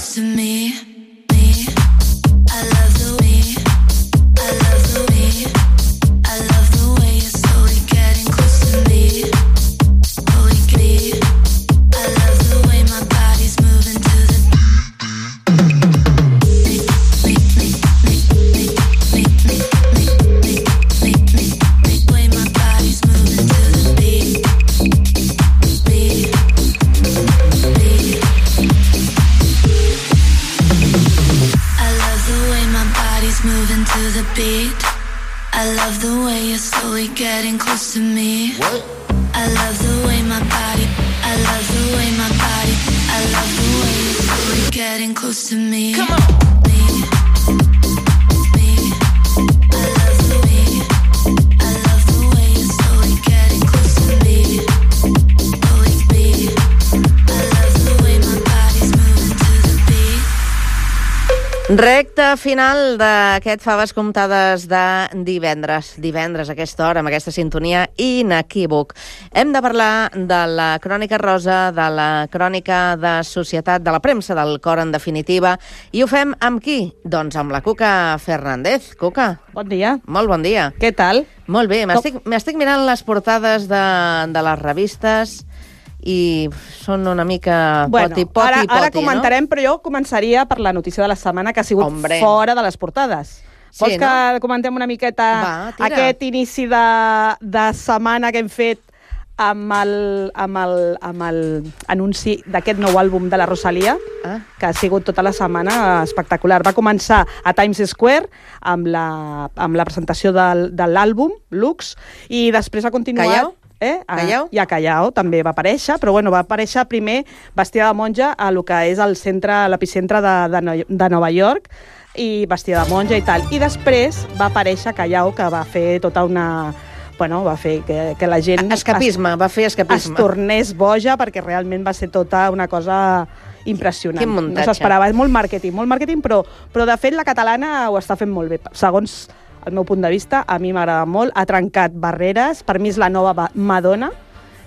Recte final d'aquest Faves Comptades de divendres. Divendres, a aquesta hora, amb aquesta sintonia inequívoc. Hem de parlar de la crònica rosa, de la crònica de societat, de la premsa del cor, en definitiva. I ho fem amb qui? Doncs amb la Cuca Fernández. Cuca. Bon dia. Molt bon dia. Què tal? Molt bé. M'estic, m'estic mirant les portades de, de les revistes i són una mica bueno, poti, poti, ara, poti, ara comentarem, no? però jo començaria per la notícia de la setmana, que ha sigut Hombre. fora de les portades. Sí, Vols que no? comentem una miqueta Va, aquest inici de, de setmana que hem fet amb el, amb el, amb el anunci d'aquest nou àlbum de la Rosalía, ah. que ha sigut tota la setmana espectacular. Va començar a Times Square amb la, amb la presentació del, de l'àlbum, Lux, i després ha continuat... Callao? Eh? A, Callao? I a Callao també va aparèixer, però bueno, va aparèixer primer vestida de monja a lo que és el centre, l'epicentre de, de, de Nova York, i vestida de monja i tal. I després va aparèixer Callao, que va fer tota una... Bueno, va fer que, que la gent... Escapisme, es, va fer escapisme. Es tornés boja, perquè realment va ser tota una cosa impressionant. Quin muntatge. No s'esperava, és molt màrqueting, molt màrqueting, però, però de fet la catalana ho està fent molt bé. Segons el meu punt de vista, a mi m'agrada molt, ha trencat barreres, per mi és la nova Madonna,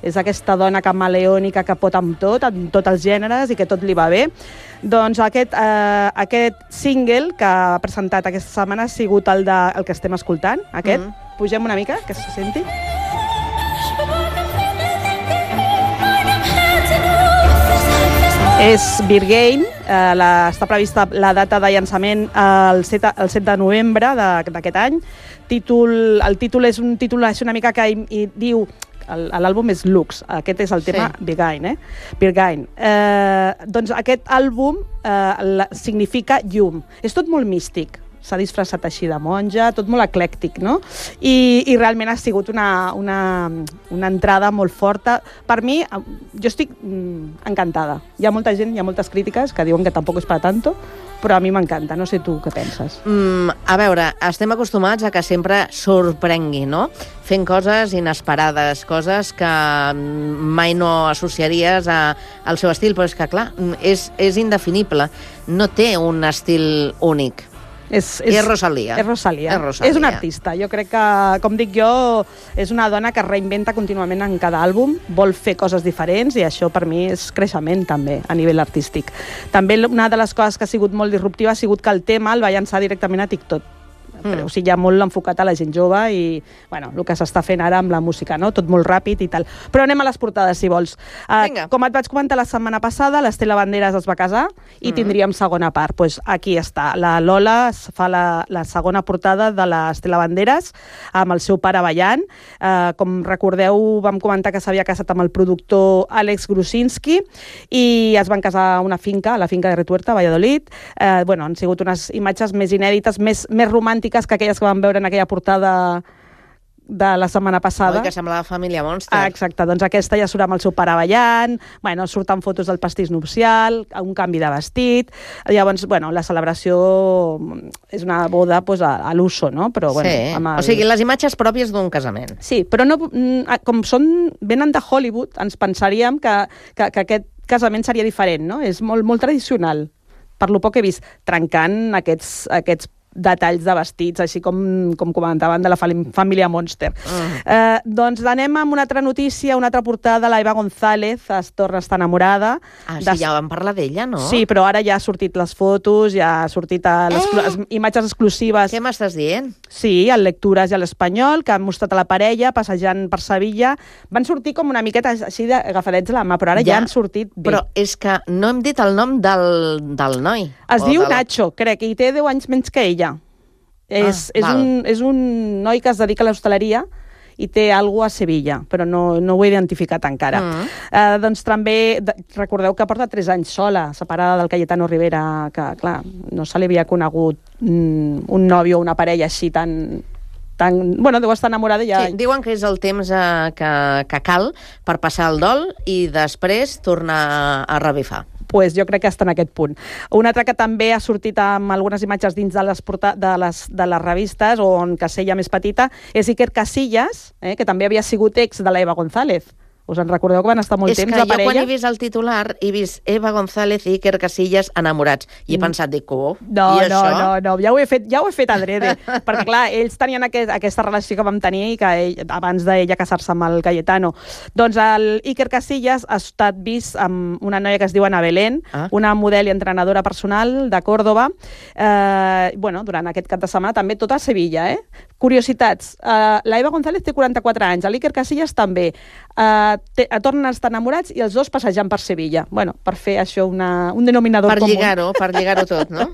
és aquesta dona camaleònica que pot amb tot, amb tots els gèneres i que tot li va bé. Doncs aquest, eh, aquest single que ha presentat aquesta setmana ha sigut el, de, el que estem escoltant, aquest. Mm-hmm. Pugem una mica, que se senti. És Birgain, eh, la, està prevista la data de llançament el set, el set de novembre d'aquest any. Títol, el títol és un títol és una mica que hi, hi diu, l'àlbum és Lux, aquest és el tema sí. Birgain, eh? Birgain. Eh, doncs aquest àlbum eh, significa llum. És tot molt místic. S'ha disfressat així de monja, tot molt eclèctic, no? I, i realment ha sigut una, una, una entrada molt forta. Per mi, jo estic mm, encantada. Hi ha molta gent, hi ha moltes crítiques que diuen que tampoc és per tanto, però a mi m'encanta. No sé tu què penses. Mm, a veure, estem acostumats a que sempre sorprengui, no? Fent coses inesperades, coses que mai no associaries a, al seu estil, però és que, clar, és, és indefinible. No té un estil únic. És, és, és Rosalía. És Rosalía. És Rosalía. És una artista. Jo crec que, com dic jo, és una dona que reinventa contínuament en cada àlbum, vol fer coses diferents i això per mi és creixement també a nivell artístic. També una de les coses que ha sigut molt disruptiva ha sigut que el tema el va llançar directament a TikTok. mm. o sigui, ja molt enfocat a la gent jove i, bueno, el que s'està fent ara amb la música, no? Tot molt ràpid i tal. Però anem a les portades, si vols. Uh, com et vaig comentar la setmana passada, l'Estela Banderas es va casar i mm. tindríem segona part. Pues aquí està. La Lola fa la, la segona portada de l'Estela Banderas amb el seu pare ballant. Uh, com recordeu, vam comentar que s'havia casat amb el productor Àlex Grusinski i es van casar a una finca, a la finca de Retuerta, a Valladolid. Uh, bueno, han sigut unes imatges més inèdites, més, més romàntiques que aquelles que vam veure en aquella portada de la setmana passada. Oi, que semblava Família Monster. Ah, exacte, doncs aquesta ja surt amb el seu pare ballant, bueno, surten fotos del pastís nupcial, un canvi de vestit, llavors, bueno, la celebració és una boda pues, a, a l'uso, no? Però, bueno, sí, amb el... o sigui, les imatges pròpies d'un casament. Sí, però no, com són, venen de Hollywood, ens pensaríem que, que, que aquest casament seria diferent, no? És molt, molt tradicional, per lo poc que he vist, trencant aquests, aquests detalls de vestits, així com, com comentaven de la família Monster. Uh-huh. eh, doncs anem amb una altra notícia, una altra portada, la Eva González es torna a estar enamorada. Ah, sí, de... ja vam parlar d'ella, no? Sí, però ara ja ha sortit les fotos, ja ha sortit a les eh? imatges exclusives. Què m'estàs dient? Sí, al Lectures i a l'Espanyol, que han mostrat a la parella passejant per Sevilla. Van sortir com una miqueta així agafadets a la mà, però ara ja, ja han sortit bé. Però és que no hem dit el nom del, del noi. Es diu del... Nacho, crec, i té deu anys menys que ella. És, ah, és, un, és un noi que es dedica a l'hostaleria i té alguna cosa a Sevilla, però no, no ho he identificat encara. Mm. Eh, doncs també, de, recordeu que porta tres anys sola, separada del Cayetano Rivera, que, clar, no se li havia conegut mm, un nòvio o una parella així tan... tan bueno, deu estar enamorada ja. Sí, diuen que és el temps eh, que, que cal per passar el dol i després tornar a revifar. Pues jo crec que està en aquest punt. Un altre que també ha sortit amb algunes imatges dins de les, porta de les, de les revistes, o en casella més petita, és Iker Casillas, eh, que també havia sigut ex de la Eva González. Us en recordeu que van estar molt és temps la parella? És que jo quan he vist el titular he vist Eva González i Iker Casillas enamorats. I he pensat, dic, oh, no, i no, això? No, no, ja ho he fet, ja ho he fet adrede. Perquè, clar, ells tenien aquest, aquesta relació que vam tenir i que ell, abans d'ella casar-se amb el Cayetano. Doncs el Iker Casillas ha estat vist amb una noia que es diu Ana Belén, ah. una model i entrenadora personal de Còrdoba. Eh, bueno, durant aquest cap de setmana també tot a Sevilla, eh? Curiositats. Uh, la Eva González té quaranta-quatre anys, l'Iker Casillas també. Uh, te, tornen a estar enamorats i els dos passejant per Sevilla. Bueno, per fer això una, un denominador per comú. Lligar-ho, per lligar-ho tot, no?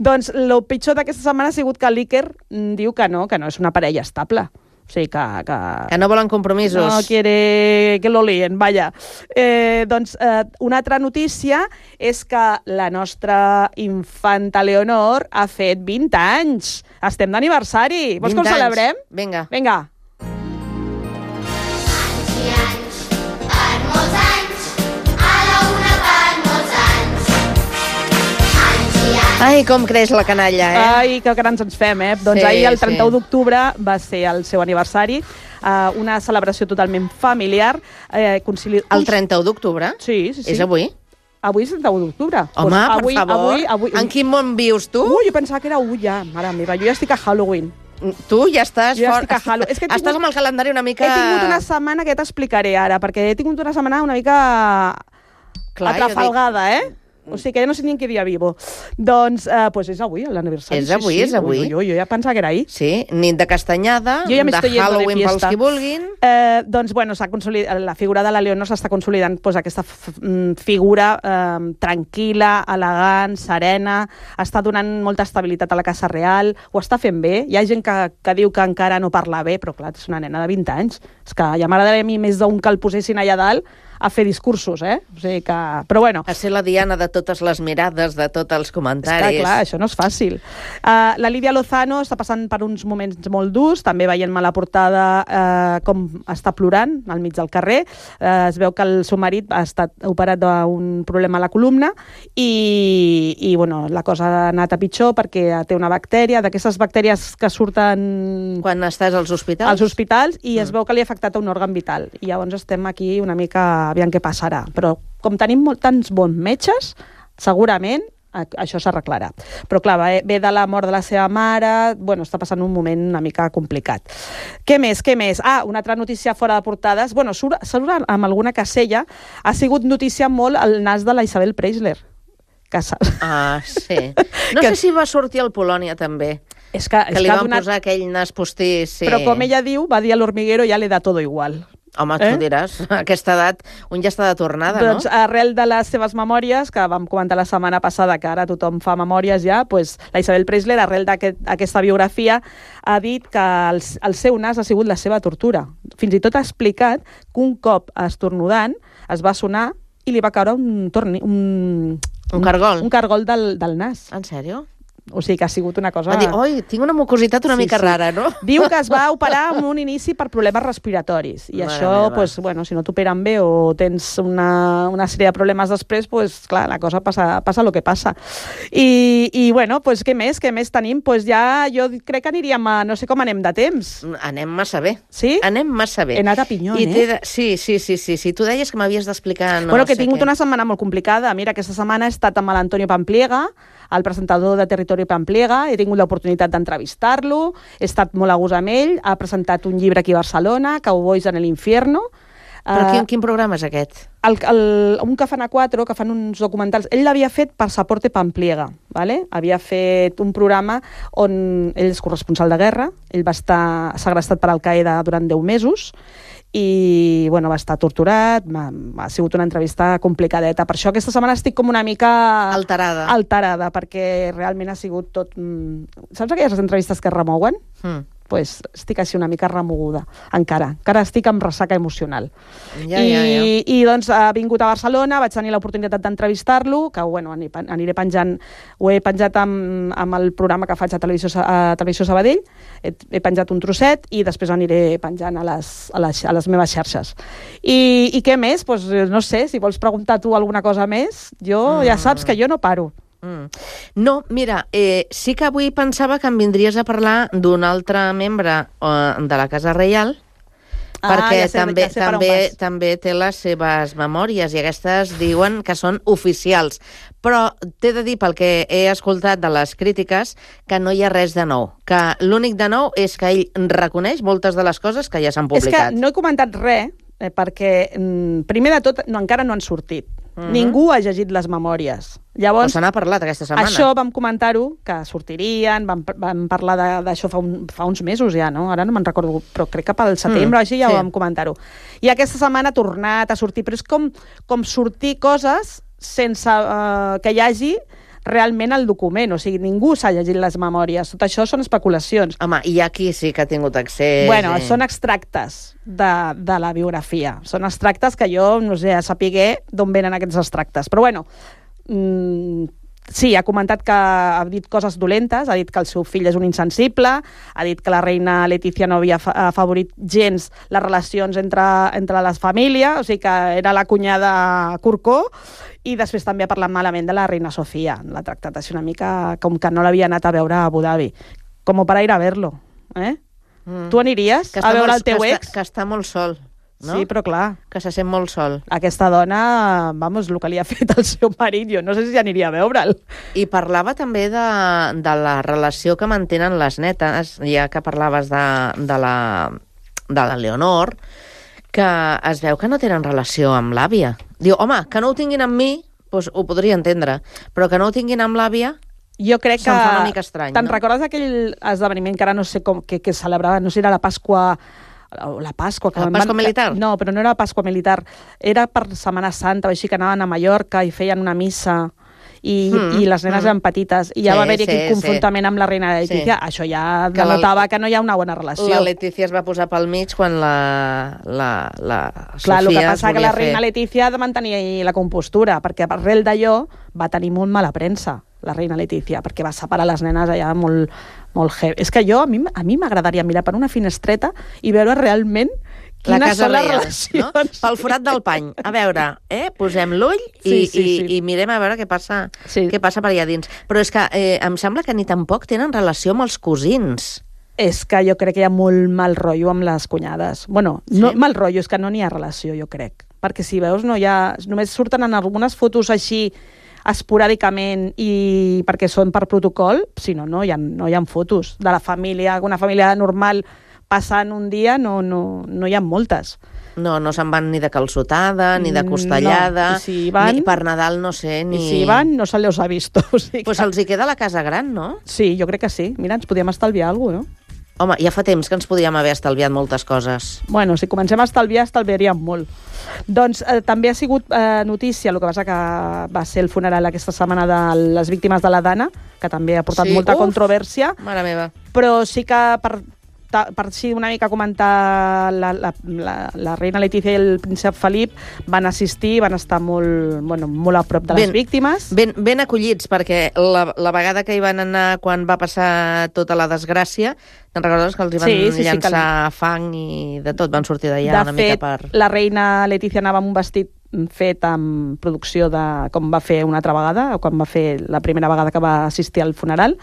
Doncs el pitjor d'aquesta setmana ha sigut que l'Iker diu que no, que no és una parella estable. O sigui, que... Que, que no volen compromisos. No quiere que lo lien, vaja. Eh, doncs eh, una altra notícia és que la nostra infanta Leonor ha fet vint anys. Estem d'aniversari. Vols que ho celebrem? Vinga. Vinga. Anys i anys, per molts anys, a la una per molts anys. Anys i anys. Ai, com creix la canalla, eh? Ai, que grans ens fem, eh? Doncs sí, ahir, el trenta-u sí. d'octubre, va ser el seu aniversari. Uh, una celebració totalment familiar. Eh, concili... El trenta-u d'octubre? Sí, sí, sí. És avui? Avui és el trenta-u d'octubre. Home, pues avui, per favor. Avui, avui... En quin món vius tu? Ui, jo pensava que era avui ja, mare meva. Jo ja estic a Halloween. Tu ja estàs jo ja fort. Estic a Halloween. És que estàs tingut... amb el calendari una mica... He tingut una setmana que t'explicaré ara, perquè he tingut una setmana una mica Clar, atrafalgada, dic... eh? O sigui que ja no sé ni en què dia vivo. Doncs eh, pues és avui, l'aniversari. És avui, sí, sí. és avui. Ui, ui, ui, jo ja pensava que era ahir. Sí, nit de castanyada, ja de Halloween pels qui vulguin. Eh, doncs, bueno, la figura de la Leonor s'està consolidant pues, aquesta figura eh, tranquil·la, elegant, serena, està donant molta estabilitat a la Casa Real, ho està fent bé. Hi ha gent que, que diu que encara no parla bé, però clar, és una nena de vint anys. És que ja m'agradaria a mi més d'un que el posessin allà dalt a fer discursos, eh? O sigui que... Però bueno... A ser la diana de totes les mirades, de tots els comentaris. És que, clar, això no és fàcil. Uh, la Lídia Lozano està passant per uns moments molt durs, també veient-me a la portada uh, com està plorant al mig del carrer. Uh, es veu que el seu marit ha estat operat d'un problema a la columna i, i bueno, la cosa ha anat a pitjor perquè té una bactèria, d'aquestes bactèries que surten... Quan estàs als hospitals? Als hospitals, i mm. es veu que li ha afectat a un òrgan vital. I llavors estem aquí una mica... aviam què passarà. Però com tenim molt, tants bons metges, segurament això s'arreglarà. Però clar, ve de la mort de la seva mare, bueno, està passant un moment una mica complicat. Què més, què més? Ah, una altra notícia fora de portades. Bueno, surt, surt amb alguna casella, ha sigut notícia molt el nas de la Isabel Preisler. Que ah, sí. No que... sé si va sortir al Polònia també. És que, que és li que van donat... posar aquell nas postís. Sí. Però com ella diu, va dir a l'hormiguero, ja li da todo igual. Home, tu eh? diràs, a aquesta edat un ja està de tornada, doncs, no? Doncs arrel de les seves memòries, que vam comentar la setmana passada, que ara tothom fa memòries ja, pues, la Isabel Preisler, arrel d'aquesta aquest, biografia, ha dit que el, el seu nas ha sigut la seva tortura. Fins i tot ha explicat que un cop estornudant es va sonar i li va caure un, torni, un, un cargol, un, un cargol del, del nas. En sèrio? O sigui que ha sigut una cosa... Va dir, oi, tinc una mucositat una sí, mica sí. rara, no? Diu que es va operar amb un inici per problemes respiratoris. I Mare això, pues, bueno, si no t'operen bé o tens una, una sèrie de problemes després, pues, clar, la cosa passa, passa el que passa. I, i bueno, pues, què més? Què més tenim? Pues ja jo crec que aniríem a... No sé com anem de temps. Anem massa bé. Sí? Anem massa bé. He anat a pinyón, I eh? De... Sí, sí, sí, sí, sí. Tu deies que m'havies d'explicar... No bueno, que sé he tingut què. una setmana molt complicada. Mira, aquesta setmana he estat amb l'Antonio Pampliega, el presentador de Territori Pampliega, he tingut l'oportunitat d'entrevistar-lo, he estat molt a gust amb ell, ha presentat un llibre aquí a Barcelona, Cowboys en el infierno. Però quin, quin programa és aquest? El, el, un que fan a quatre, que fan uns documentals. Ell l'havia fet per Saporte Pampliega, ¿vale? Havia fet un programa on ell és corresponsal de guerra, ell va estar segrestat per Al-Qaeda durant deu mesos, i bueno, va estar torturat, ha, ha sigut una entrevista complicadeta. Per això aquesta setmana estic com una mica... Alterada. Alterada, perquè realment ha sigut tot... Saps aquelles entrevistes que es remouen? Mm. Pues estic així una mica remoguda, encara. Encara estic amb ressaca emocional. Ja, I, ja, ja. I doncs ha vingut a Barcelona, vaig tenir l'oportunitat d'entrevistar-lo, que bueno, aniré penjant, ho he penjat amb, amb el programa que faig a Televisió, a Televisió Sabadell, he, he penjat un trosset i després aniré penjant a les, a les, a les meves xarxes. I, i què més? Pues, no sé, si vols preguntar tu alguna cosa més, jo mm. ja saps que jo no paro. Mm. No, mira, eh, sí que avui pensava que em vindries a parlar d'un altre membre eh, de la Casa Reial, ah, perquè ja sé, també, ja sé també, també té les seves memòries i aquestes diuen que són oficials. Però t'he de dir, pel que he escoltat de les crítiques, que no hi ha res de nou. Que l'únic de nou és que ell reconeix moltes de les coses que ja s'han publicat. És que no he comentat res, eh, perquè mm, primer de tot no, encara no han sortit. Mm-hmm. Ningú ha llegit les memòries. Llavors, se n'ha parlat aquesta setmana. Això vam comentar-ho, que sortirien, vam, vam parlar d'això fa, un, fa uns mesos ja, no? Ara no me'n recordo, però crec que pel setembre mm, així ja sí. ho vam comentar-ho. I aquesta setmana ha tornat a sortir, però és com, com sortir coses sense uh, que hi hagi realment el document, o sigui, ningú s'ha llegit les memòries. Tot això són especulacions. Home, i aquí sí que ha tingut accés. Bueno, i... són extractes de, de la biografia. Són extractes que jo, no sé, sapigué d'on venen aquests extractes. Però bueno, mmm, sí, ha comentat que ha dit coses dolentes, ha dit que el seu fill és un insensible, ha dit que la reina Letícia no havia afavorit gens les relacions entre, entre les famílies, o sigui que era la cunyada Corcó, i després també ha parlat malament de la reina Sofia. L'ha tractat així una mica com que no l'havia anat a veure a Abu Dhabi. Com per ir a verlo, eh? Mm. Tu aniries a veure molt, el teu que ex? Està, que està molt sol, no? Sí, però clar. Que se sent molt sol. Aquesta dona, vamos, el que li ha fet el seu marit, jo no sé si aniria a veure'l. I parlava també de, de la relació que mantenen les netes, ja que parlaves de, de, la, de la Leonor, que es veu que no tenen relació amb l'àvia. Diu, home, que no ho tinguin amb mi, doncs ho podria entendre, però que no ho tinguin amb l'àvia, jo crec que... se'm fa una mica estrany, te'n no? recordes aquell esdeveniment que ara no sé com, que, que celebrava, no sé si era la Pasqua... La Pasqua... Que la Pasqua van, militar? No, però no era la Pasqua militar. Era per Setmana Santa, o així que anaven a Mallorca i feien una missa... I, mm, i les nenes mm. eren petites, i ja sí, va haver-hi sí, aquell confrontament sí. amb la reina Letícia, sí. Això ja que denotava la, que no hi ha una bona relació. La Letícia es va posar pel mig quan la, la, la Clar, Sofia el que passa que la reina fer... Letícia ha de mantenir la compostura, perquè arrel d'allò va tenir molt mala premsa, la reina Letícia, perquè va separar les nenes allà molt, molt heavy. És que jo, a mi a mi m'agradaria mirar per una finestreta i veure realment la quines casa són les real, relacions. No? Pel forat del pany. A veure, eh? Posem l'ull i, sí, sí, sí. i, i mirem a veure què passa, sí. què passa per allà dins. Però és que eh, em sembla que ni tampoc tenen relació amb els cosins. És que jo crec que hi ha molt mal rotllo amb les cunyades. Bueno, no sí? mal rotllo, és que no n'hi ha relació, jo crec. Perquè si veus, no hi ha... només surten en algunes fotos així esporàdicament i perquè són per protocol, si no, no hi ha, no hi ha fotos de la família, una família normal passant un dia, no, no, no hi ha moltes. No, no se'n van ni de calçotada, ni de costellada, no. Si van, ni per Nadal, no sé, ni... I si van, no se les ha vist. O sigui pues que... els hi queda la casa gran, no? Sí, jo crec que sí. Mira, ens podíem estalviar alguna cosa, no? Home, ja fa temps que ens podíem haver estalviat moltes coses. Bueno, si comencem a estalviar, estalviaríem molt. Doncs eh, també ha sigut eh, notícia, el que passa que va ser el funeral aquesta setmana de les víctimes de la Dana, que també ha portat Sí, molta uf, controvèrsia. Mare meva. Però sí que per, ta, per així una mica comentar la, la, la, la reina Letícia i el príncep Felip van assistir, van estar molt, bueno, molt a prop de les ben, víctimes. Ben, ben acollits, perquè la, la vegada que hi van anar quan va passar tota la desgràcia, te'n recordes que els hi van sí, sí, llançar sí, que... fang i de tot, van sortir d'allà una fet, mica per... la reina Letícia anava amb un vestit fet amb producció de... com va fer una altra vegada, o quan va fer la primera vegada que va assistir al funeral,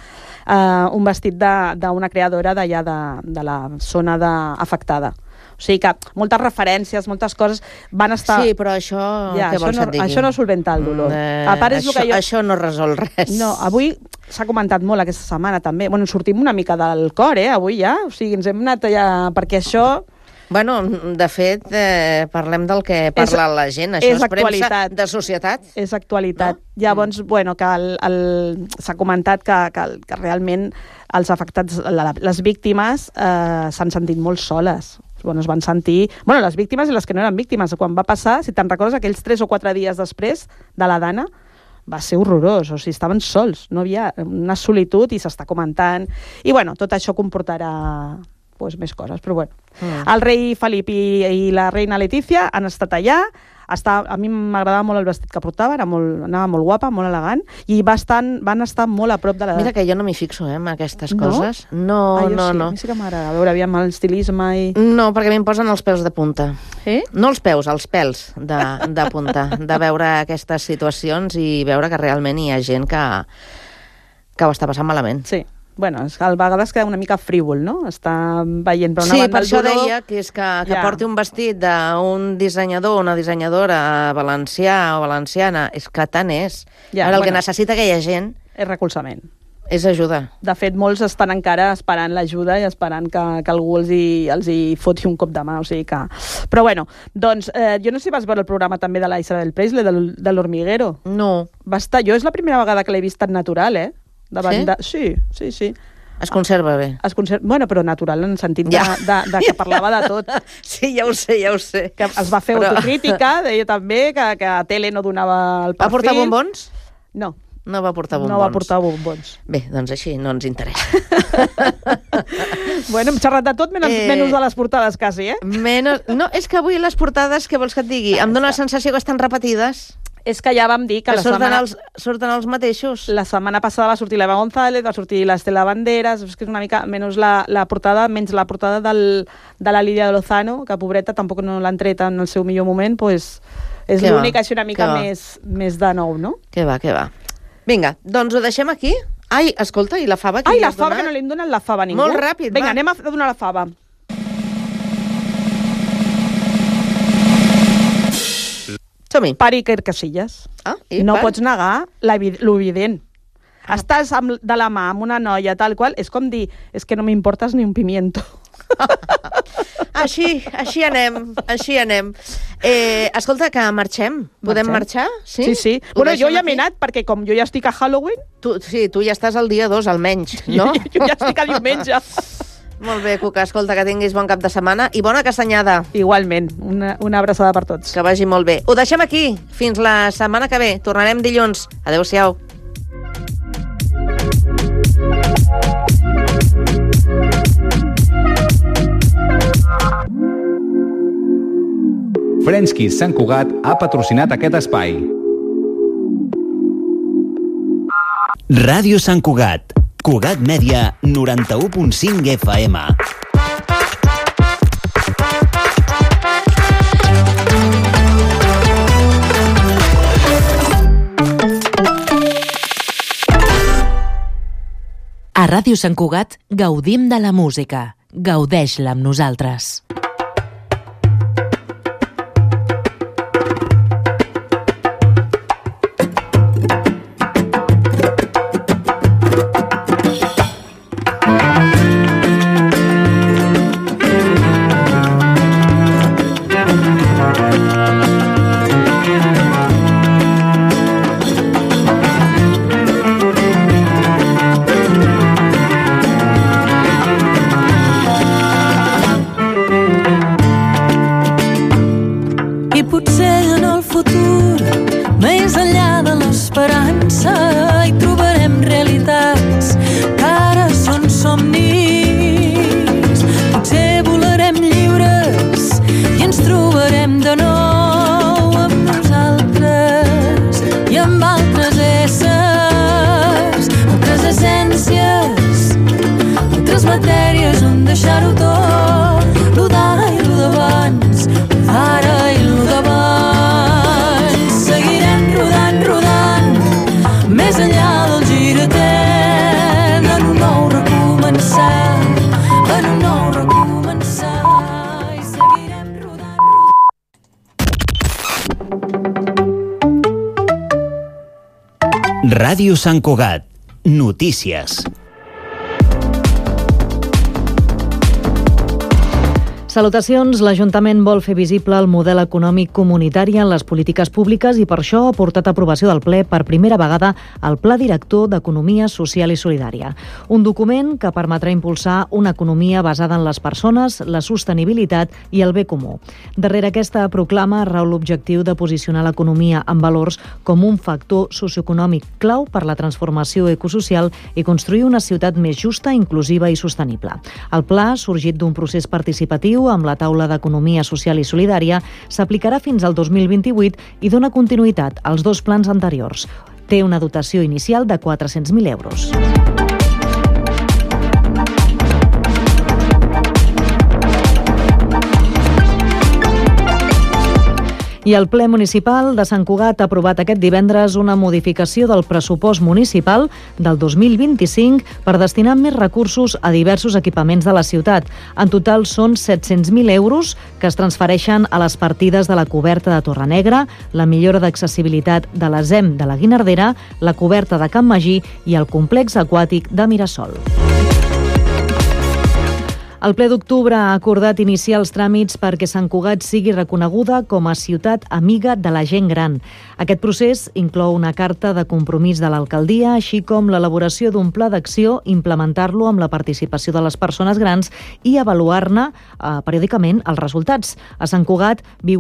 uh, un vestit d'una creadora d'allà de, de la zona de, afectada. O sigui que moltes referències, moltes coses van estar... Sí, però això... Ja, què això vols no, que et digui? això no solventa el dolor. Eh, a part, és això, el que jo... això no resol res. No, avui s'ha comentat molt aquesta setmana també. Bueno, sortim una mica del cor, eh, avui ja. O sigui, ens hem anat allà... Perquè això... Bueno, de fet, eh, parlem del que parla és, la gent. Això és, és premsa de societat. És actualitat. No? Llavors, mm. bueno, que el, el, s'ha comentat que, que, que realment els afectats, la, les víctimes, eh, s'han sentit molt soles. Bueno, es van sentir... Bueno, les víctimes i les que no eren víctimes. Quan va passar, si te'n recordes, aquells tres o quatre dies després de la Dana, va ser horrorós. O sigui, estaven sols. No havia una solitud i s'està comentant. I, bueno, tot això comportarà... pues, més coses, però bueno. Mm. El rei Felip i, i la reina Letícia han estat allà, està, a mi m'agradava molt el vestit que portava, era molt, anava molt guapa, molt elegant, i va estar, van estar molt a prop de la... Mira que jo no m'hi fixo, eh, en aquestes no? coses. No, ah, no, sí, no. A mi sí que m'agrada, a veure, aviam el estilisme i... No, perquè a mi em posen els pèls de punta. Eh? No els peus, els pèls de, de punta, de veure aquestes situacions i veure que realment hi ha gent que, que ho està passant malament. Sí. Bueno, a vegades queda una mica frívol, no? Està veient per una sí, banda per el això dolor... deia que és que, que ja. porti un vestit d'un dissenyador o una dissenyadora valencià o valenciana, és que tant és. Ja, Ara, el bueno, que necessita aquella gent... És recolzament. És ajuda. De fet, molts estan encara esperant l'ajuda i esperant que, que algú els hi, els hi foti un cop de mà, o sigui que... Però bueno, doncs, eh, jo no sé si vas veure el programa també de la Isabel Presley, de, de l'Hormiguero. No. Va estar... Jo és la primera vegada que l'he vist tan natural, eh? Davant sí? De... Sí, sí, sí. Es conserva bé. Es conserva... Bueno, però natural en el sentit ja. de, de, de que parlava de tot. Sí, ja ho sé, ja ho sé. Que es va fer però... autocrítica, deia també que, que a tele no donava el perfil. Va portar bombons? No. No va portar bombons. No va portar bombons. Bé, doncs així no ens interessa. Bueno, hem xerrat de tot, menys, eh... menys de les portades, quasi, eh? Menos... No, és que avui les portades, què vols que et digui? Em dóna la sensació que estan repetides. És que ja vam dir que, que la surten setmana... Els, surten els mateixos. La setmana passada va sortir l'Eva González, va sortir l'Estela Banderas, és que és una mica menys la, la portada, menys la portada del, de la Lídia de Lozano, que pobreta tampoc no l'han tret en el seu millor moment, pues, és l'única així una mica més, més de nou, no? Que va, que va. Vinga, doncs ho deixem aquí. Ai, escolta, i la fava? Ai, la fava, donat? Que no li hem donat la fava a ningú. Molt ràpid, Vinga, va. anem a donar la fava. Som-hi. Per Iker Casillas. Ah, i no per? pots negar l'evident. Ah. Estàs amb, de la mà amb una noia tal qual, és com dir, és que no m'importes ni un pimiento. Així, així anem, així anem. Eh, escolta, que marxem. Podem marxem? marxar? Sí, sí. sí. Bueno, jo ja m'he anat, perquè com jo ja estic a Halloween... Tu, sí, tu ja estàs al dia dos, almenys, no? jo ja estic a diumenge. Molt bé, Cuca, escolta, que tinguis bon cap de setmana i bona castanyada. Igualment, una, una abraçada per tots. Que vagi molt bé. Ho deixem aquí, fins la setmana que ve. Tornarem dilluns. Adéu-siau. French Kiss Sant Cugat ha patrocinat aquest espai. Ràdio Sant Cugat. Cugat Mèdia, noranta-u punt cinc F M. A Ràdio Sant Cugat gaudim de la música. Gaudeix-la amb nosaltres. I potser en el futur, més enllà de l'esperança, hi trobarem realitats que ara són somnis. Potser volarem lliures i ens trobarem de nou amb nosaltres i amb altres éssers, altres essències, altres matèries on deixar-ho tot, lo d'ara i lo d'abans, lo d'ara i lo d'abans. Seguirem rodant, rodant, més enllà del gir etern, en un nou recomençar, en un nou recomençar, i seguirem rodant, rodant. Ràdio Sant Cugat. Notícies. Salutacions. L'Ajuntament vol fer visible el model econòmic comunitari en les polítiques públiques i per això ha portat a aprovació del ple per primera vegada el Pla Director d'Economia Social i Solidària. Un document que permetrà impulsar una economia basada en les persones, la sostenibilitat i el bé comú. Darrere aquesta proclama rau l'objectiu de posicionar l'economia en valors com un factor socioeconòmic clau per la transformació ecosocial i construir una ciutat més justa, inclusiva i sostenible. El pla, sorgit d'un procés participatiu amb la taula d'Economia Social i Solidària, s'aplicarà fins al dos mil vint-i-vuit i dona continuïtat als dos plans anteriors. Té una dotació inicial de quatre-cents mil euros. I el ple municipal de Sant Cugat ha aprovat aquest divendres una modificació del pressupost municipal del dos mil vint-i-cinc per destinar més recursos a diversos equipaments de la ciutat. En total són set-cents mil euros que es transfereixen a les partides de la coberta de Torrenegra, la millora d'accessibilitat de la Z E M de la Guinardera, la coberta de Can Magí i el complex aquàtic de Mirasol. El ple d'octubre ha acordat iniciar els tràmits perquè Sant Cugat sigui reconeguda com a ciutat amiga de la gent gran. Aquest procés inclou una carta de compromís de l'alcaldia, així com l'elaboració d'un pla d'acció, implementar-lo amb la participació de les persones grans i avaluar-ne eh, periòdicament els resultats. A Sant Cugat viu